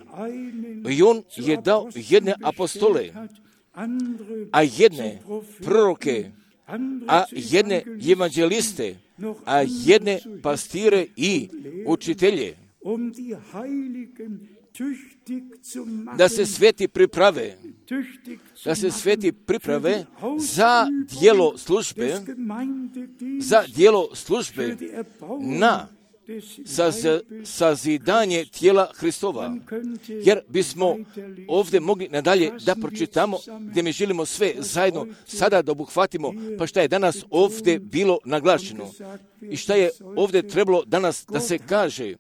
i on je dao jedne apostole, a jedne proroke, a jedne evanđeliste, a jedne pastire i učitelje, da se sveti priprave, da se sveti priprave za djelo službe, za djelo službe na sazidanje tijela Hristova. Jer bismo ovdje mogli nadalje da pročitamo, gdje mi želimo sve zajedno sada da obuhvatimo, pa šta je danas ovdje bilo naglašeno i šta je ovdje trebalo danas da se kaže.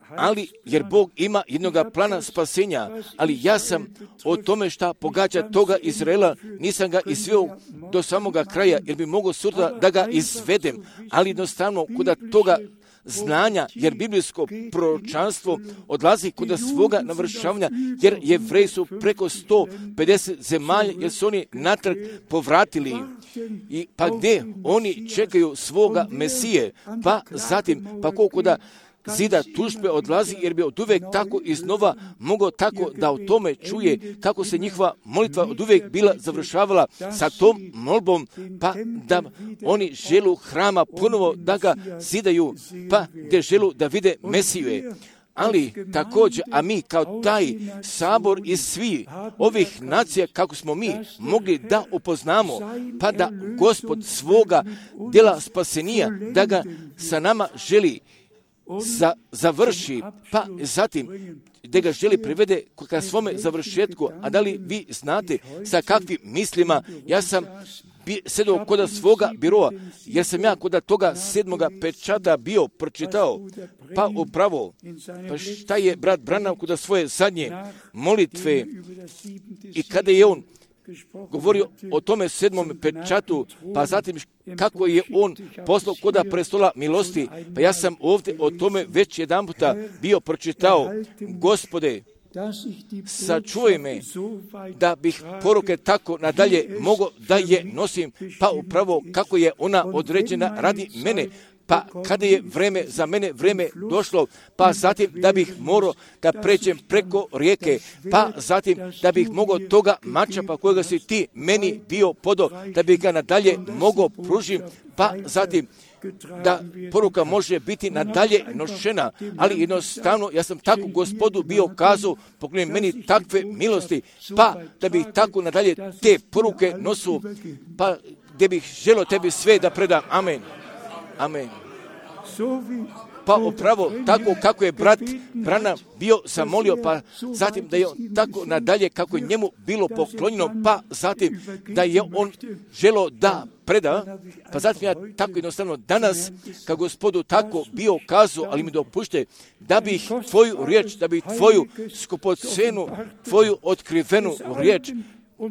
Ali, jer Bog ima jednoga plana spasenja, ali ja sam o tome šta pogađa toga Izraela, nisam ga izveo do samoga kraja, jer bi mogao sutra da ga izvedem, ali jednostavno kuda toga znanja, jer biblijsko proročanstvo odlazi kod svoga navršavanja, jer Jevreji su preko sto pedeset zemalja, jer su oni natrag povratili. I pa gdje oni čekaju svoga Mesije, pa zatim, pa koliko da zida tužbe odlazi, jer bi od uvijek tako iznova mogao tako da o tome čuje kako se njihova molitva od uvijek bila završavala sa tom molbom, pa da oni želu hrama ponovo da ga zidaju, pa gdje želu da vide Mesiju. Ali također, a mi kao taj sabor iz svih ovih nacija, kako smo mi mogli da upoznamo, pa da Gospod svoga djela spasenija, da ga sa nama želi Za, završi, pa zatim da ga želi privede ka svome završetku. A da li vi znate sa kakvim mislima ja sam sedao kod svoga biroa, jer sam ja kod toga sedmoga pečata bio pročitao, pa upravo, pa šta je brat Branham kod svoje zadnje molitve i kada je on govorio o tome sedmom pečatu, pa zatim kako je on poslao koda prestola milosti, pa ja sam ovdje o tome već jedan puta bio pročitao. Gospode, sačuvaj me da bih poruke tako nadalje mogao da je nosim, pa upravo kako je ona određena radi mene. Pa kada je vreme za mene vreme došlo, pa zatim da bih morao da pređem preko rijeke, pa zatim da bih mogao toga mača pa kojega si ti meni bio podo, da bih ga nadalje mogao pružim, pa zatim da poruka može biti nadalje nošena, ali jednostavno ja sam tako Gospodu bio kazao, pogledaj meni takve milosti, pa da bih tako nadalje te poruke nosu, pa gdje bih želio tebi sve da predam. Amen. Amen. Pa upravo tako kako je brat Branham bio zamolio, pa zatim da je on tako nadalje kako je njemu bilo poklonjeno, pa zatim da je on želio da preda, pa zatim ja tako jednostavno danas kao Gospodu tako bio kazao, ali mi dopušte da bih tvoju riječ, da bih tvoju skupocenu, tvoju otkrivenu riječ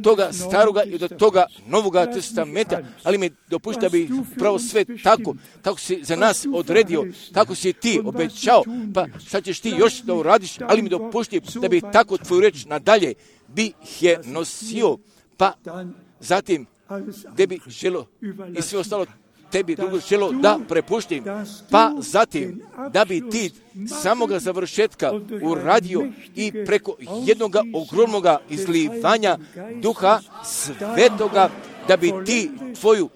toga staroga i do toga novoga testamenta, ali mi dopušta bi upravo sve tako, tako si za nas odredio, tako si ti obećao, pa šta ćeš ti još da uradiš, ali mi dopušti da bi tako tvoju reč nadalje bih je nosio, pa zatim gdje bi želo i sve ostalo tebi drugo želo da prepuštim, pa zatim da bi ti samoga završetka uradio i preko jednog ogromnog izlivanja Duha Svetoga, da bi ti tvoju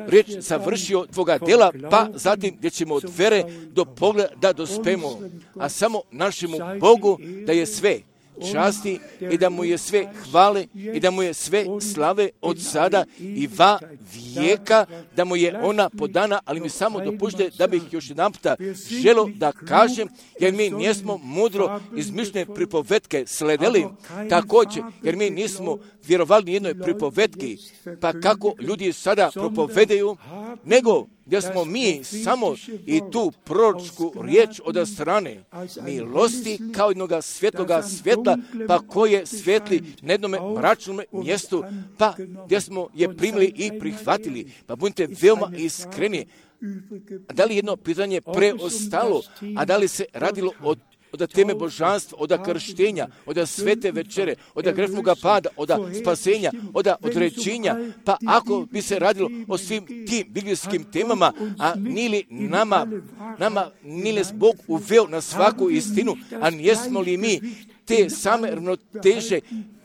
riječ završio tvoga dela, pa zatim gdje ćemo od vere do pogleda da dospemo, a samo našemu Bogu da je sve časti i da mu je sve hvale i da mu je sve slave od sada i va vijeka, da mu je ona podana, ali mi samo dopušte da bih još jedan puta želo da kažem, jer mi nismo mudro izmišljene pripovetke sledeli, također, jer mi nismo vjerovali ni jednoj pripovetki, pa kako ljudi sada propovedaju, nego gdje smo mi samo i tu proročku riječ od strane milosti kao jednoga svjetloga svjetla, pa koje svijetli na jednom mračnom mjestu, pa gdje smo je primili i prihvatili. Pa budite veoma iskreni. Da li jedno pitanje preostalo, a da li se radilo o od teme božanstva, od krštenja, od svete večere, od grešnoga pada, od spasenja, od određenja, pa ako bi se radilo o svim tim biblijskim temama, a nili nama, nama nili Bog uveo na svaku istinu, a nijesmo li mi te same ravnoteže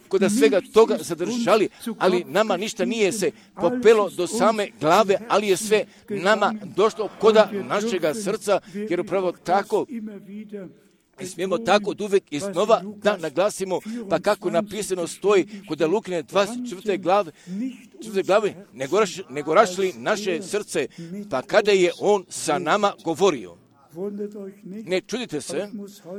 kod svega toga zadržali, ali nama ništa nije se popelo do same glave, ali je sve nama došlo koda našega srca, jer upravo tako i smijemo tako od uvijek iznova da naglasimo, pa kako napisano stoji kod Lukine dvadeset četvrte glave, četvrte glave nego rašli naše srce, pa kada je on sa nama govorio. Ne čudite se,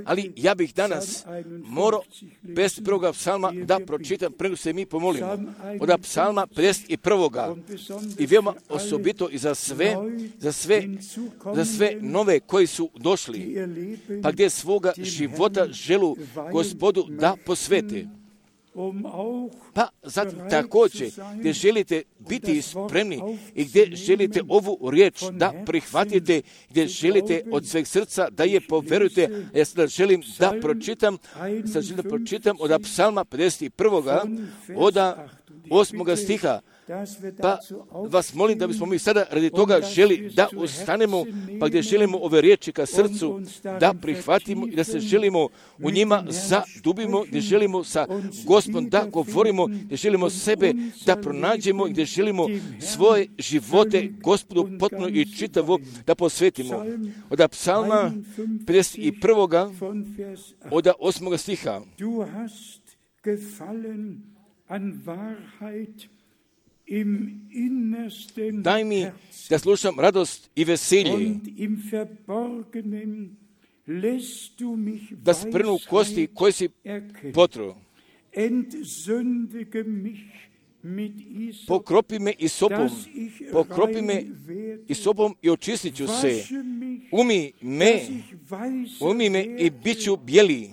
ali ja bih danas morao bez prvoga psalma da pročitam, prego se mi pomolimo, od psalma pedeset prvoga i veoma osobito i za sve, za sve, za sve nove koji su došli, pa gdje svoga života želu Gospodu da posvete. Pa zatim također gdje želite biti spremni i gdje želite ovu riječ da prihvatite, gdje želite od sveg srca da je poverujete. Ja sada želim da pročitam, sada želim da pročitam od psalma pedeset prvoga od osmoga stiha. Pa vas molim da bismo mi sada radi toga želi da ustanemo, pa gdje želimo ove riječi ka srcu da prihvatimo i da se želimo u njima zadubimo, gdje želimo sa Gospodom da govorimo, gdje želimo sebe da pronađemo i gdje želimo svoje živote Gospodu potpuno i čitavo da posvetimo. Od psalma pedeset prvoga od osmoga stiha. Daj mi da slušam radost i veselje, da sprnu kosti koje si potro. Pokropi me i sopom, pokropi me i sopom i očistit ću se. Umi me, umi me i bit ću bijeli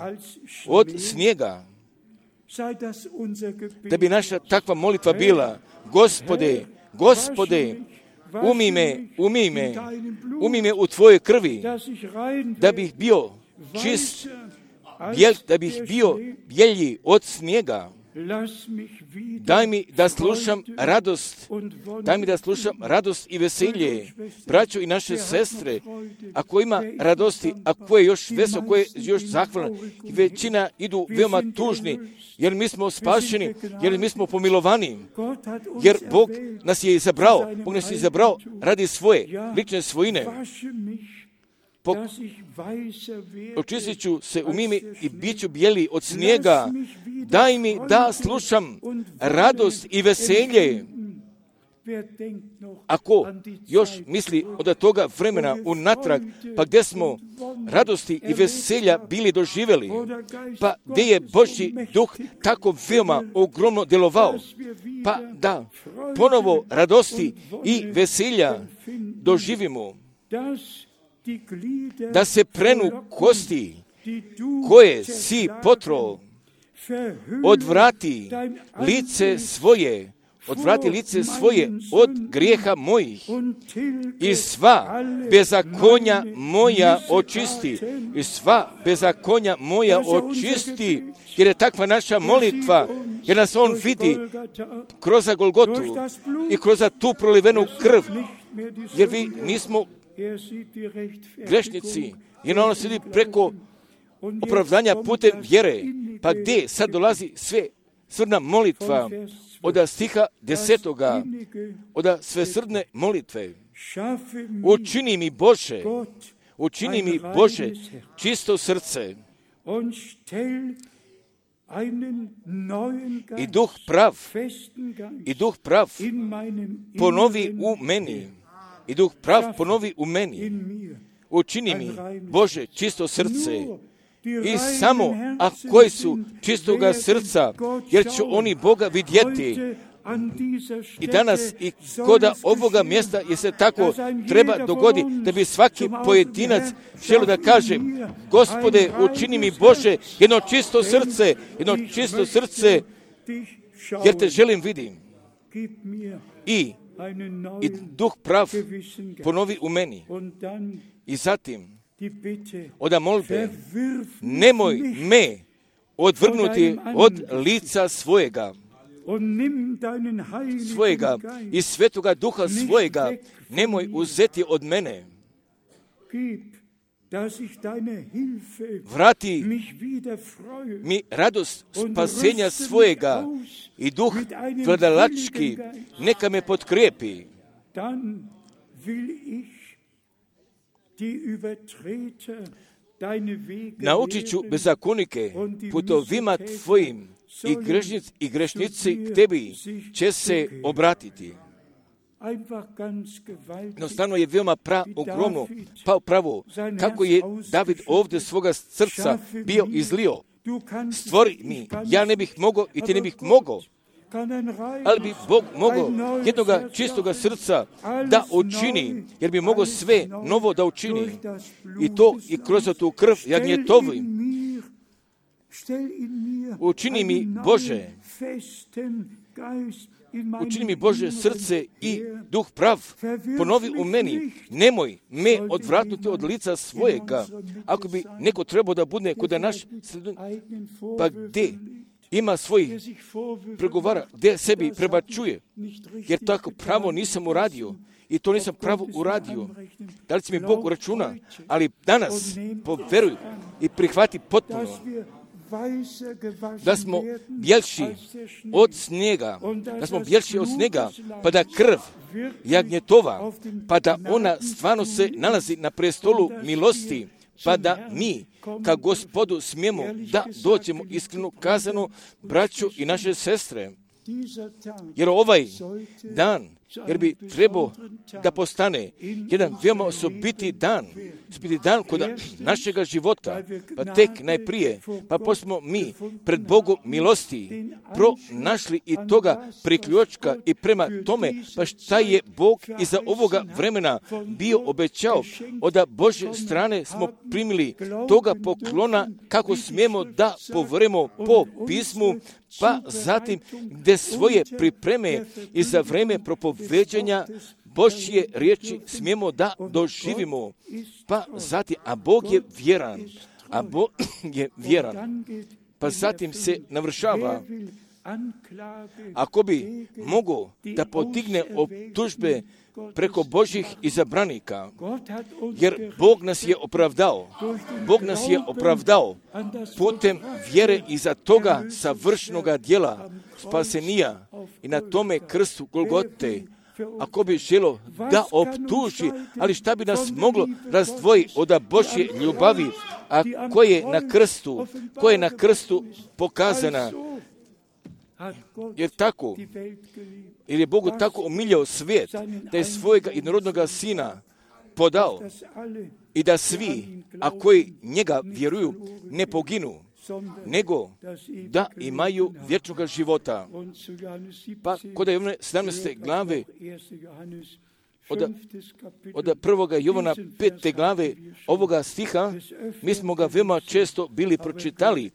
od snijega. Da bi naša takva molitva bila, Gospode, Gospode, umi me, umi me, umi me u tvojoj krvi, da bih bio čist, bijel, da bih bio bijelji od snijega. Daj mi da slušam radost, daj mi da slušam radost i veselje, braćo i naše sestre, ako ima radosti, ako je još veselo, ako je još zahvalno, i većina idu veoma tužni, jer mi smo spašeni, jer mi smo pomilovani, jer Bog nas je izabrao, Bog nas je izabrao radi svoje, lične svojine. Po, očistit ću se u mimi i bit ću bijeli od snijega. Daj mi da slušam radost i veselje. Ako još misli od toga vremena unatrag, pa gdje smo radosti i veselja bili doživjeli, pa gdje je Božji duh tako veoma ogromno djelovao, pa da ponovo radosti i veselja doživimo, da se prenu kosti koje si potro, odvrati lice svoje, odvrati lice svoje od grijeha mojih i sva bezakonja moja očisti, i sva bezakonja moja očisti, jer je takva naša molitva, jer nas on vidi kroz Golgotu i kroz tu prolivenu krv, jer vi nismo grešnici, jer ono slijedi preko opravdanja putem vjere. Pa gdje sad dolazi sve srdna molitva od stiha desetoga, od svesrdne molitve. Učini mi Bože, učini mi Bože čisto srce i duh prav, i duh prav ponovi u meni, i duh prav ponovi u meni. Učini mi Bože čisto srce. I samo, a koji su čistoga srca, jer će oni Boga vidjeti. I danas i koda ovoga mjesta je se tako treba dogodi da bi svaki pojedinac želio da kaže: Gospode, učini mi Bože jedno čisto srce, jedno čisto srce, jer te želim vidim. I, i duh prav ponovi u meni. I zatim oda molbe, nemoj me odvrgnuti od lica svojega, svojega i svetoga duha svojega, nemoj uzeti od mene. Vrati mi radost spasenja svojega i duh vladalački, neka me potkrijepi. Naučit ću bezakonike putovima tvojim i grešnici, i grešnici k tebi će se obratiti. Jednostavno je veoma pra, ogromno, pa pravo, kako je David ovdje svoga srca bio izlio. Stvori mi, ja ne bih mogao i ti ne bih mogao, ali bi Bog mogao jednoga čistoga srca da učini, jer bi mogao sve novo da učini. I to i kroz tu krv jagnjetovi. Učini mi Bože, učini mi Bože srce i duh prav ponovi u meni. Nemoj me odvratnuti od lica svojega. Ako bi neko trebao da bude kod naš sredun, pa gdje ima svojih pregovara, gdje sebi prebačuje, jer tako pravo nisam uradio i to nisam pravo uradio. Da li će mi Bog uračuna? Ali danas poveruj i prihvati potpuno da smo bjelši od snijega, da smo bjelši od snijega, pa da krv jagnjetova, pa da ona stvarno se nalazi na prestolu milosti, pa da mi, ka Gospodu, smijemo da dođemo iskreno kazano, braću i naše sestre. Jer ovaj dan, jer bi trebao da postane jedan veoma osobiti dan, osobiti dan kod našega života, pa tek najprije, pa posmo mi pred Bogom milosti pronašli i toga priključka i prema tome, pa šta je Bog iza ovoga vremena bio obećao, od Božje strane smo primili toga poklona kako smijemo da povremo po pismu, pa zatim gdje svoje pripreme i za vreme propoveđanja Božje riječi smijemo da doživimo. Pa zatim, a Bog je vjeran, a Bog je vjeran, pa zatim se navršava. Ako bi mogao da potigne optužbe preko Božjih izabranika, jer Bog nas je opravdao, Bog nas je opravdao putem vjere iza toga savršenoga djela spasenija i na tome krstu Golgote. Ako bi želo da optuži, ali šta bi nas moglo razdvojiti od Božje ljubavi, a koje je na krstu, koje je na krstu pokazana. Jer tako, jer je Bogu tako umiljao svijet, da je svojega jednorodnoga sina podao i da svi, a koji njega vjeruju, ne poginu, nego da imaju vječnoga života. Pa kod Jovana sedamnaeste glave, od, od prvoga Jovana pete glave ovoga stiha, mi smo ga veoma često bili pročitali,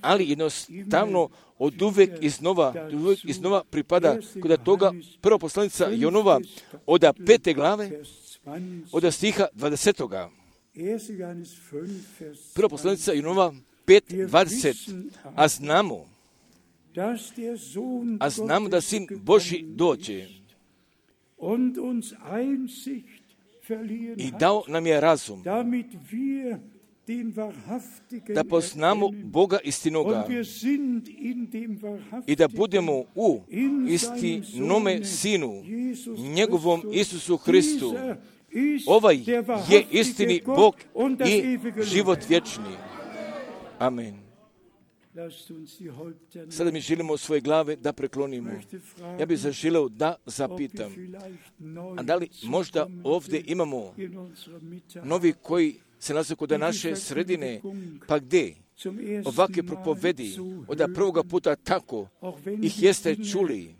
ali jednostavno od uvek iznova, uvek iznova pripada kod toga prva poslanica Jonova od pete glave, od stiha dvadesetoga. Prva poslanica Jonova pet dvadeset, a znamo, a znamo da Sin Božji dođe. i dao nam je razum da poznamo Boga istinoga i da budemo u istinome Sinu, njegovom Isusu Hristu. Ovaj je istini Bog i život vječni. Amen. Sada mi želimo svoje glave da preklonimo. Ja bih zaželeo da zapitam, a da li možda ovdje imamo novi koji se nalaze kod naše sredine, pa gdje ovakve propovedi od prvoga puta tako ih jeste čuli,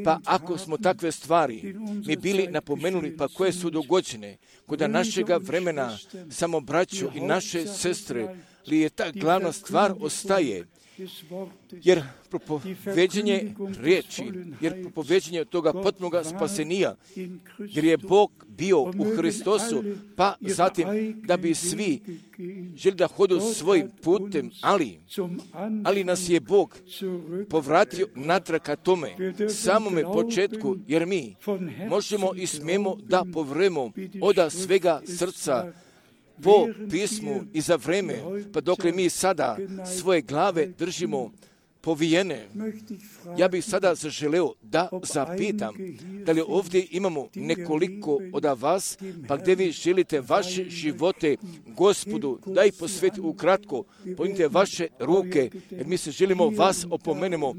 pa ako smo takve stvari mi bili napomenuli, pa koje su dogođene kod našega vremena, samo braću i naše sestre, li je ta glavna stvar ostaje, jer propoveđenje riječi, jer propoveđenje toga potpunoga spasenija, jer je Bog bio u Hristosu, pa zatim da bi svi želi da hodu svojim putem, ali, ali nas je Bog povratio natrag ka tome, samome početku, jer mi možemo i smijemo da povremo od svega srca po pismu i za vreme, pa dokle mi sada svoje glave držimo povijene. Ja bih sada zaželeo da zapitam, da li ovdje imamo nekoliko od vas, pa gdje vi želite vaše živote Gospodu, da ih posvetite ukratko, podignite vaše ruke, jer mi se želimo vas opomenemo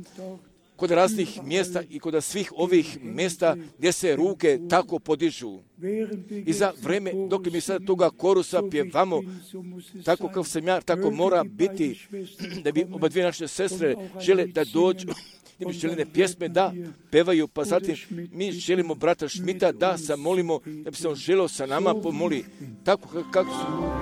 kod raznih mjesta i kod svih ovih mjesta gdje se ruke tako podižu. I za vreme dok mi sada toga korusa pjevamo, tako kao sam ja, tako mora biti, da bi oba dvije naše sestre žele da dođu, da bi željene pjesme da pevaju, pa zatim mi želimo brata Šmita da se molimo, da bi se on želeo sa nama pomoli, tako kako su...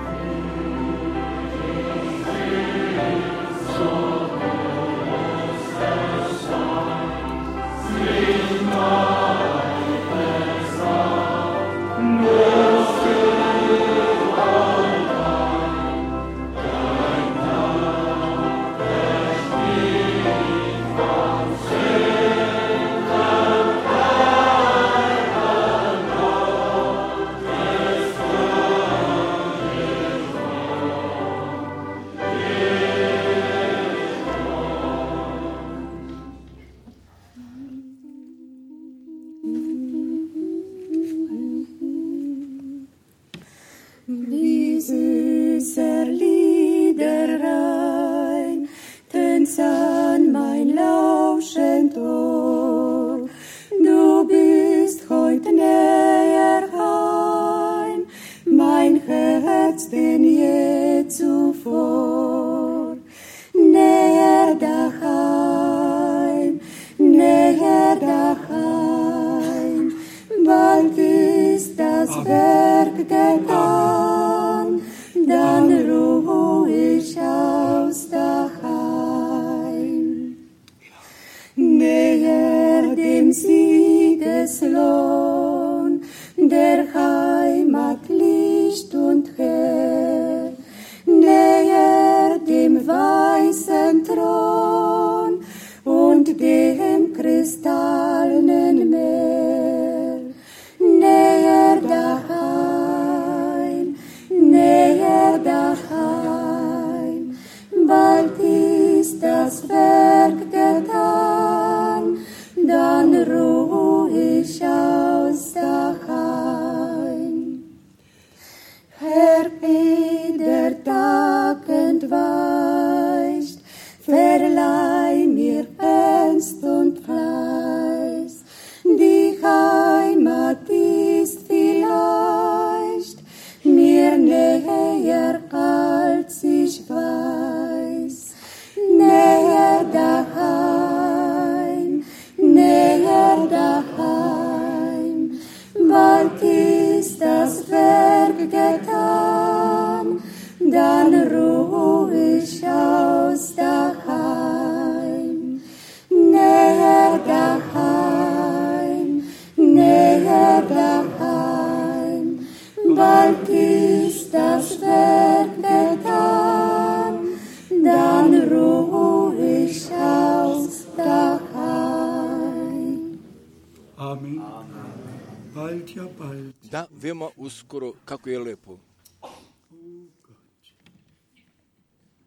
Bald, ja bald. Da, veoma uskoro, kako je lepo.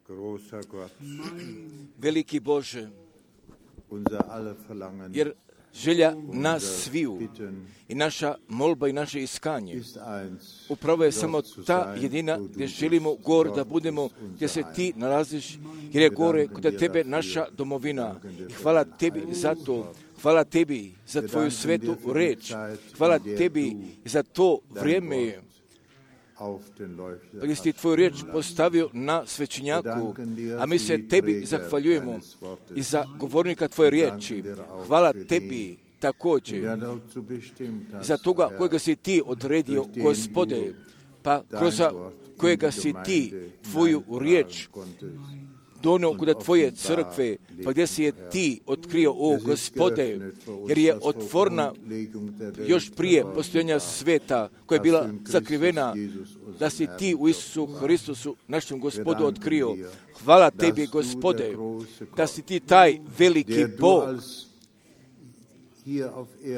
Großer Gott, Veliki Bože, unser aller Verlangen jer želja nas sviju i naša molba i naše iskanje ist eins, upravo je samo ta jedina gdje želimo gore da budemo, gdje se ti nalaziš, jer je gore kod tebe naša domovina. I hvala tebi za to, hvala tebi za tvoju svetu reč, hvala tebi za to vrijeme gdje si ti tvoju riječ postavio na svećenjaku, a mi se tebi zahvaljujemo i za govornika tvoje riječi. Hvala tebi također za toga kojega si ti odredio, Gospode, pa kroz kojega si ti tvoju riječ donio kod tvoje crkve, pa gdje si je ti otkrio, o Gospode, jer je otvorna još prije postojanja sveta koja je bila sakrivena, da si ti u Isusu Hristusu, našem Gospodu, otkrio. Hvala tebi, Gospode, da si ti taj veliki Bog,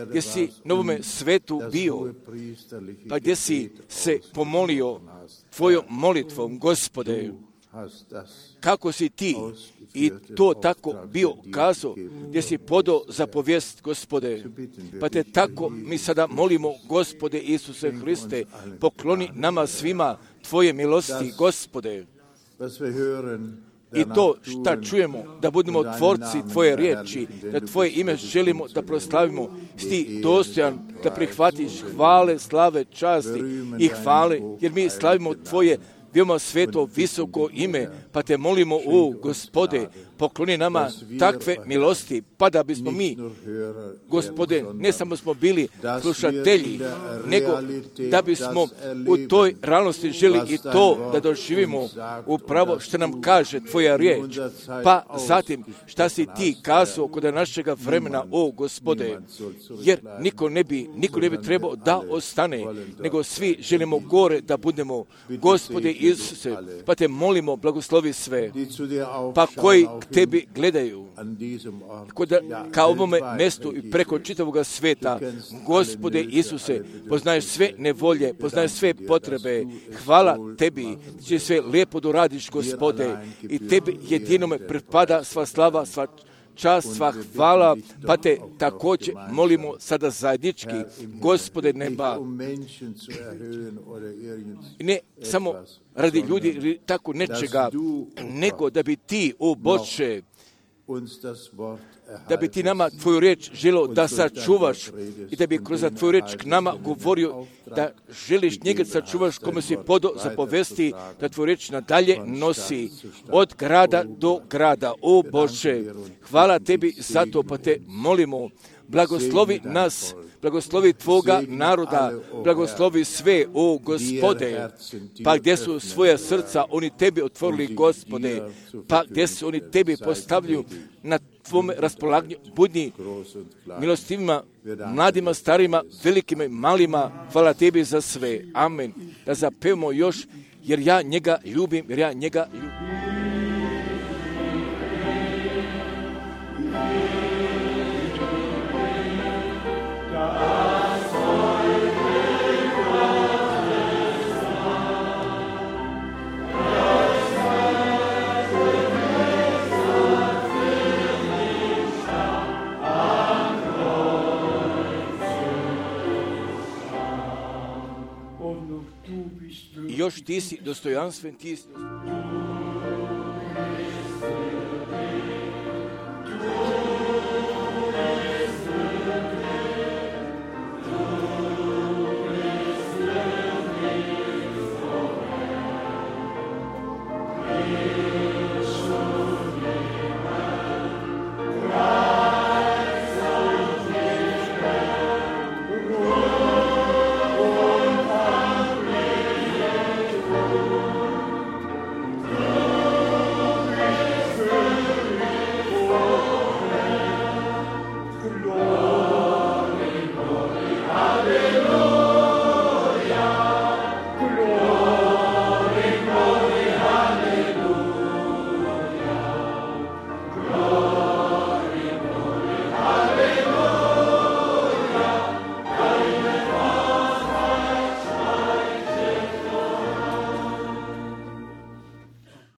gdje si na ovome svetu bio, pa gdje si se pomolio tvojom molitvom, Gospode, kako si ti i to tako bio kazao, gdje si podao zapovijest, Gospode. Pa te tako mi sada molimo, Gospode Isuse Hriste, pokloni nama svima tvoje milosti, Gospode. I to šta čujemo, da budemo tvorci tvoje riječi, da tvoje ime želimo da proslavimo, ti dostojan da prihvatiš hvale, slave, časti i hvale, jer mi slavimo tvoje veoma sveto, visoko ime, pa te molimo, o Gospode, pokloni nama takve milosti, pa da bismo mi, Gospode, ne samo smo bili slušatelji, nego da bismo u toj realnosti želi i to da doživimo upravo što nam kaže tvoja riječ, pa zatim šta si ti kazao kod našega vremena, o Gospode, jer niko ne bi, niko ne bi trebao da ostane, nego svi želimo gore da budemo, Gospode Isuse, pa te molimo, blagoslovi sve, pa koji k tebi gledaju, kod, ka ovome mjestu i preko čitavoga sveta, Gospode Isuse, poznaješ sve nevolje, poznaješ sve potrebe, hvala tebi, će sve lijepo doradiš, Gospode, i tebi jedinome pripada sva slava, sva čast, sva hvala, pa te također molimo sada zajednički, Gospode neba, i ne samo radi ljudi tako nečega, nego da bi ti, o Bože, da bi ti nama tvoju riječ želio da sačuvaš i da bi kroz tvoju riječ k nama govorio da želiš njega sačuvaš kome si podo zapovesti da tvoju riječ nadalje nosi od grada do grada. O Bože, hvala tebi za to, pa te molimo, blagoslovi nas, blagoslovi tvoga naroda, blagoslovi sve, o Gospode, pa gdje su svoja srca oni tebi otvorili, Gospode, pa gdje su oni tebi postavljaju na tvome raspolaganju, budni milostivima, mladima, starima, velikima i malima, hvala tebi za sve. Amen. Da zapevamo još, jer ja njega ljubim, jer ja njega ljubim. Još ti si dostojanstven, ti si dostojanstven.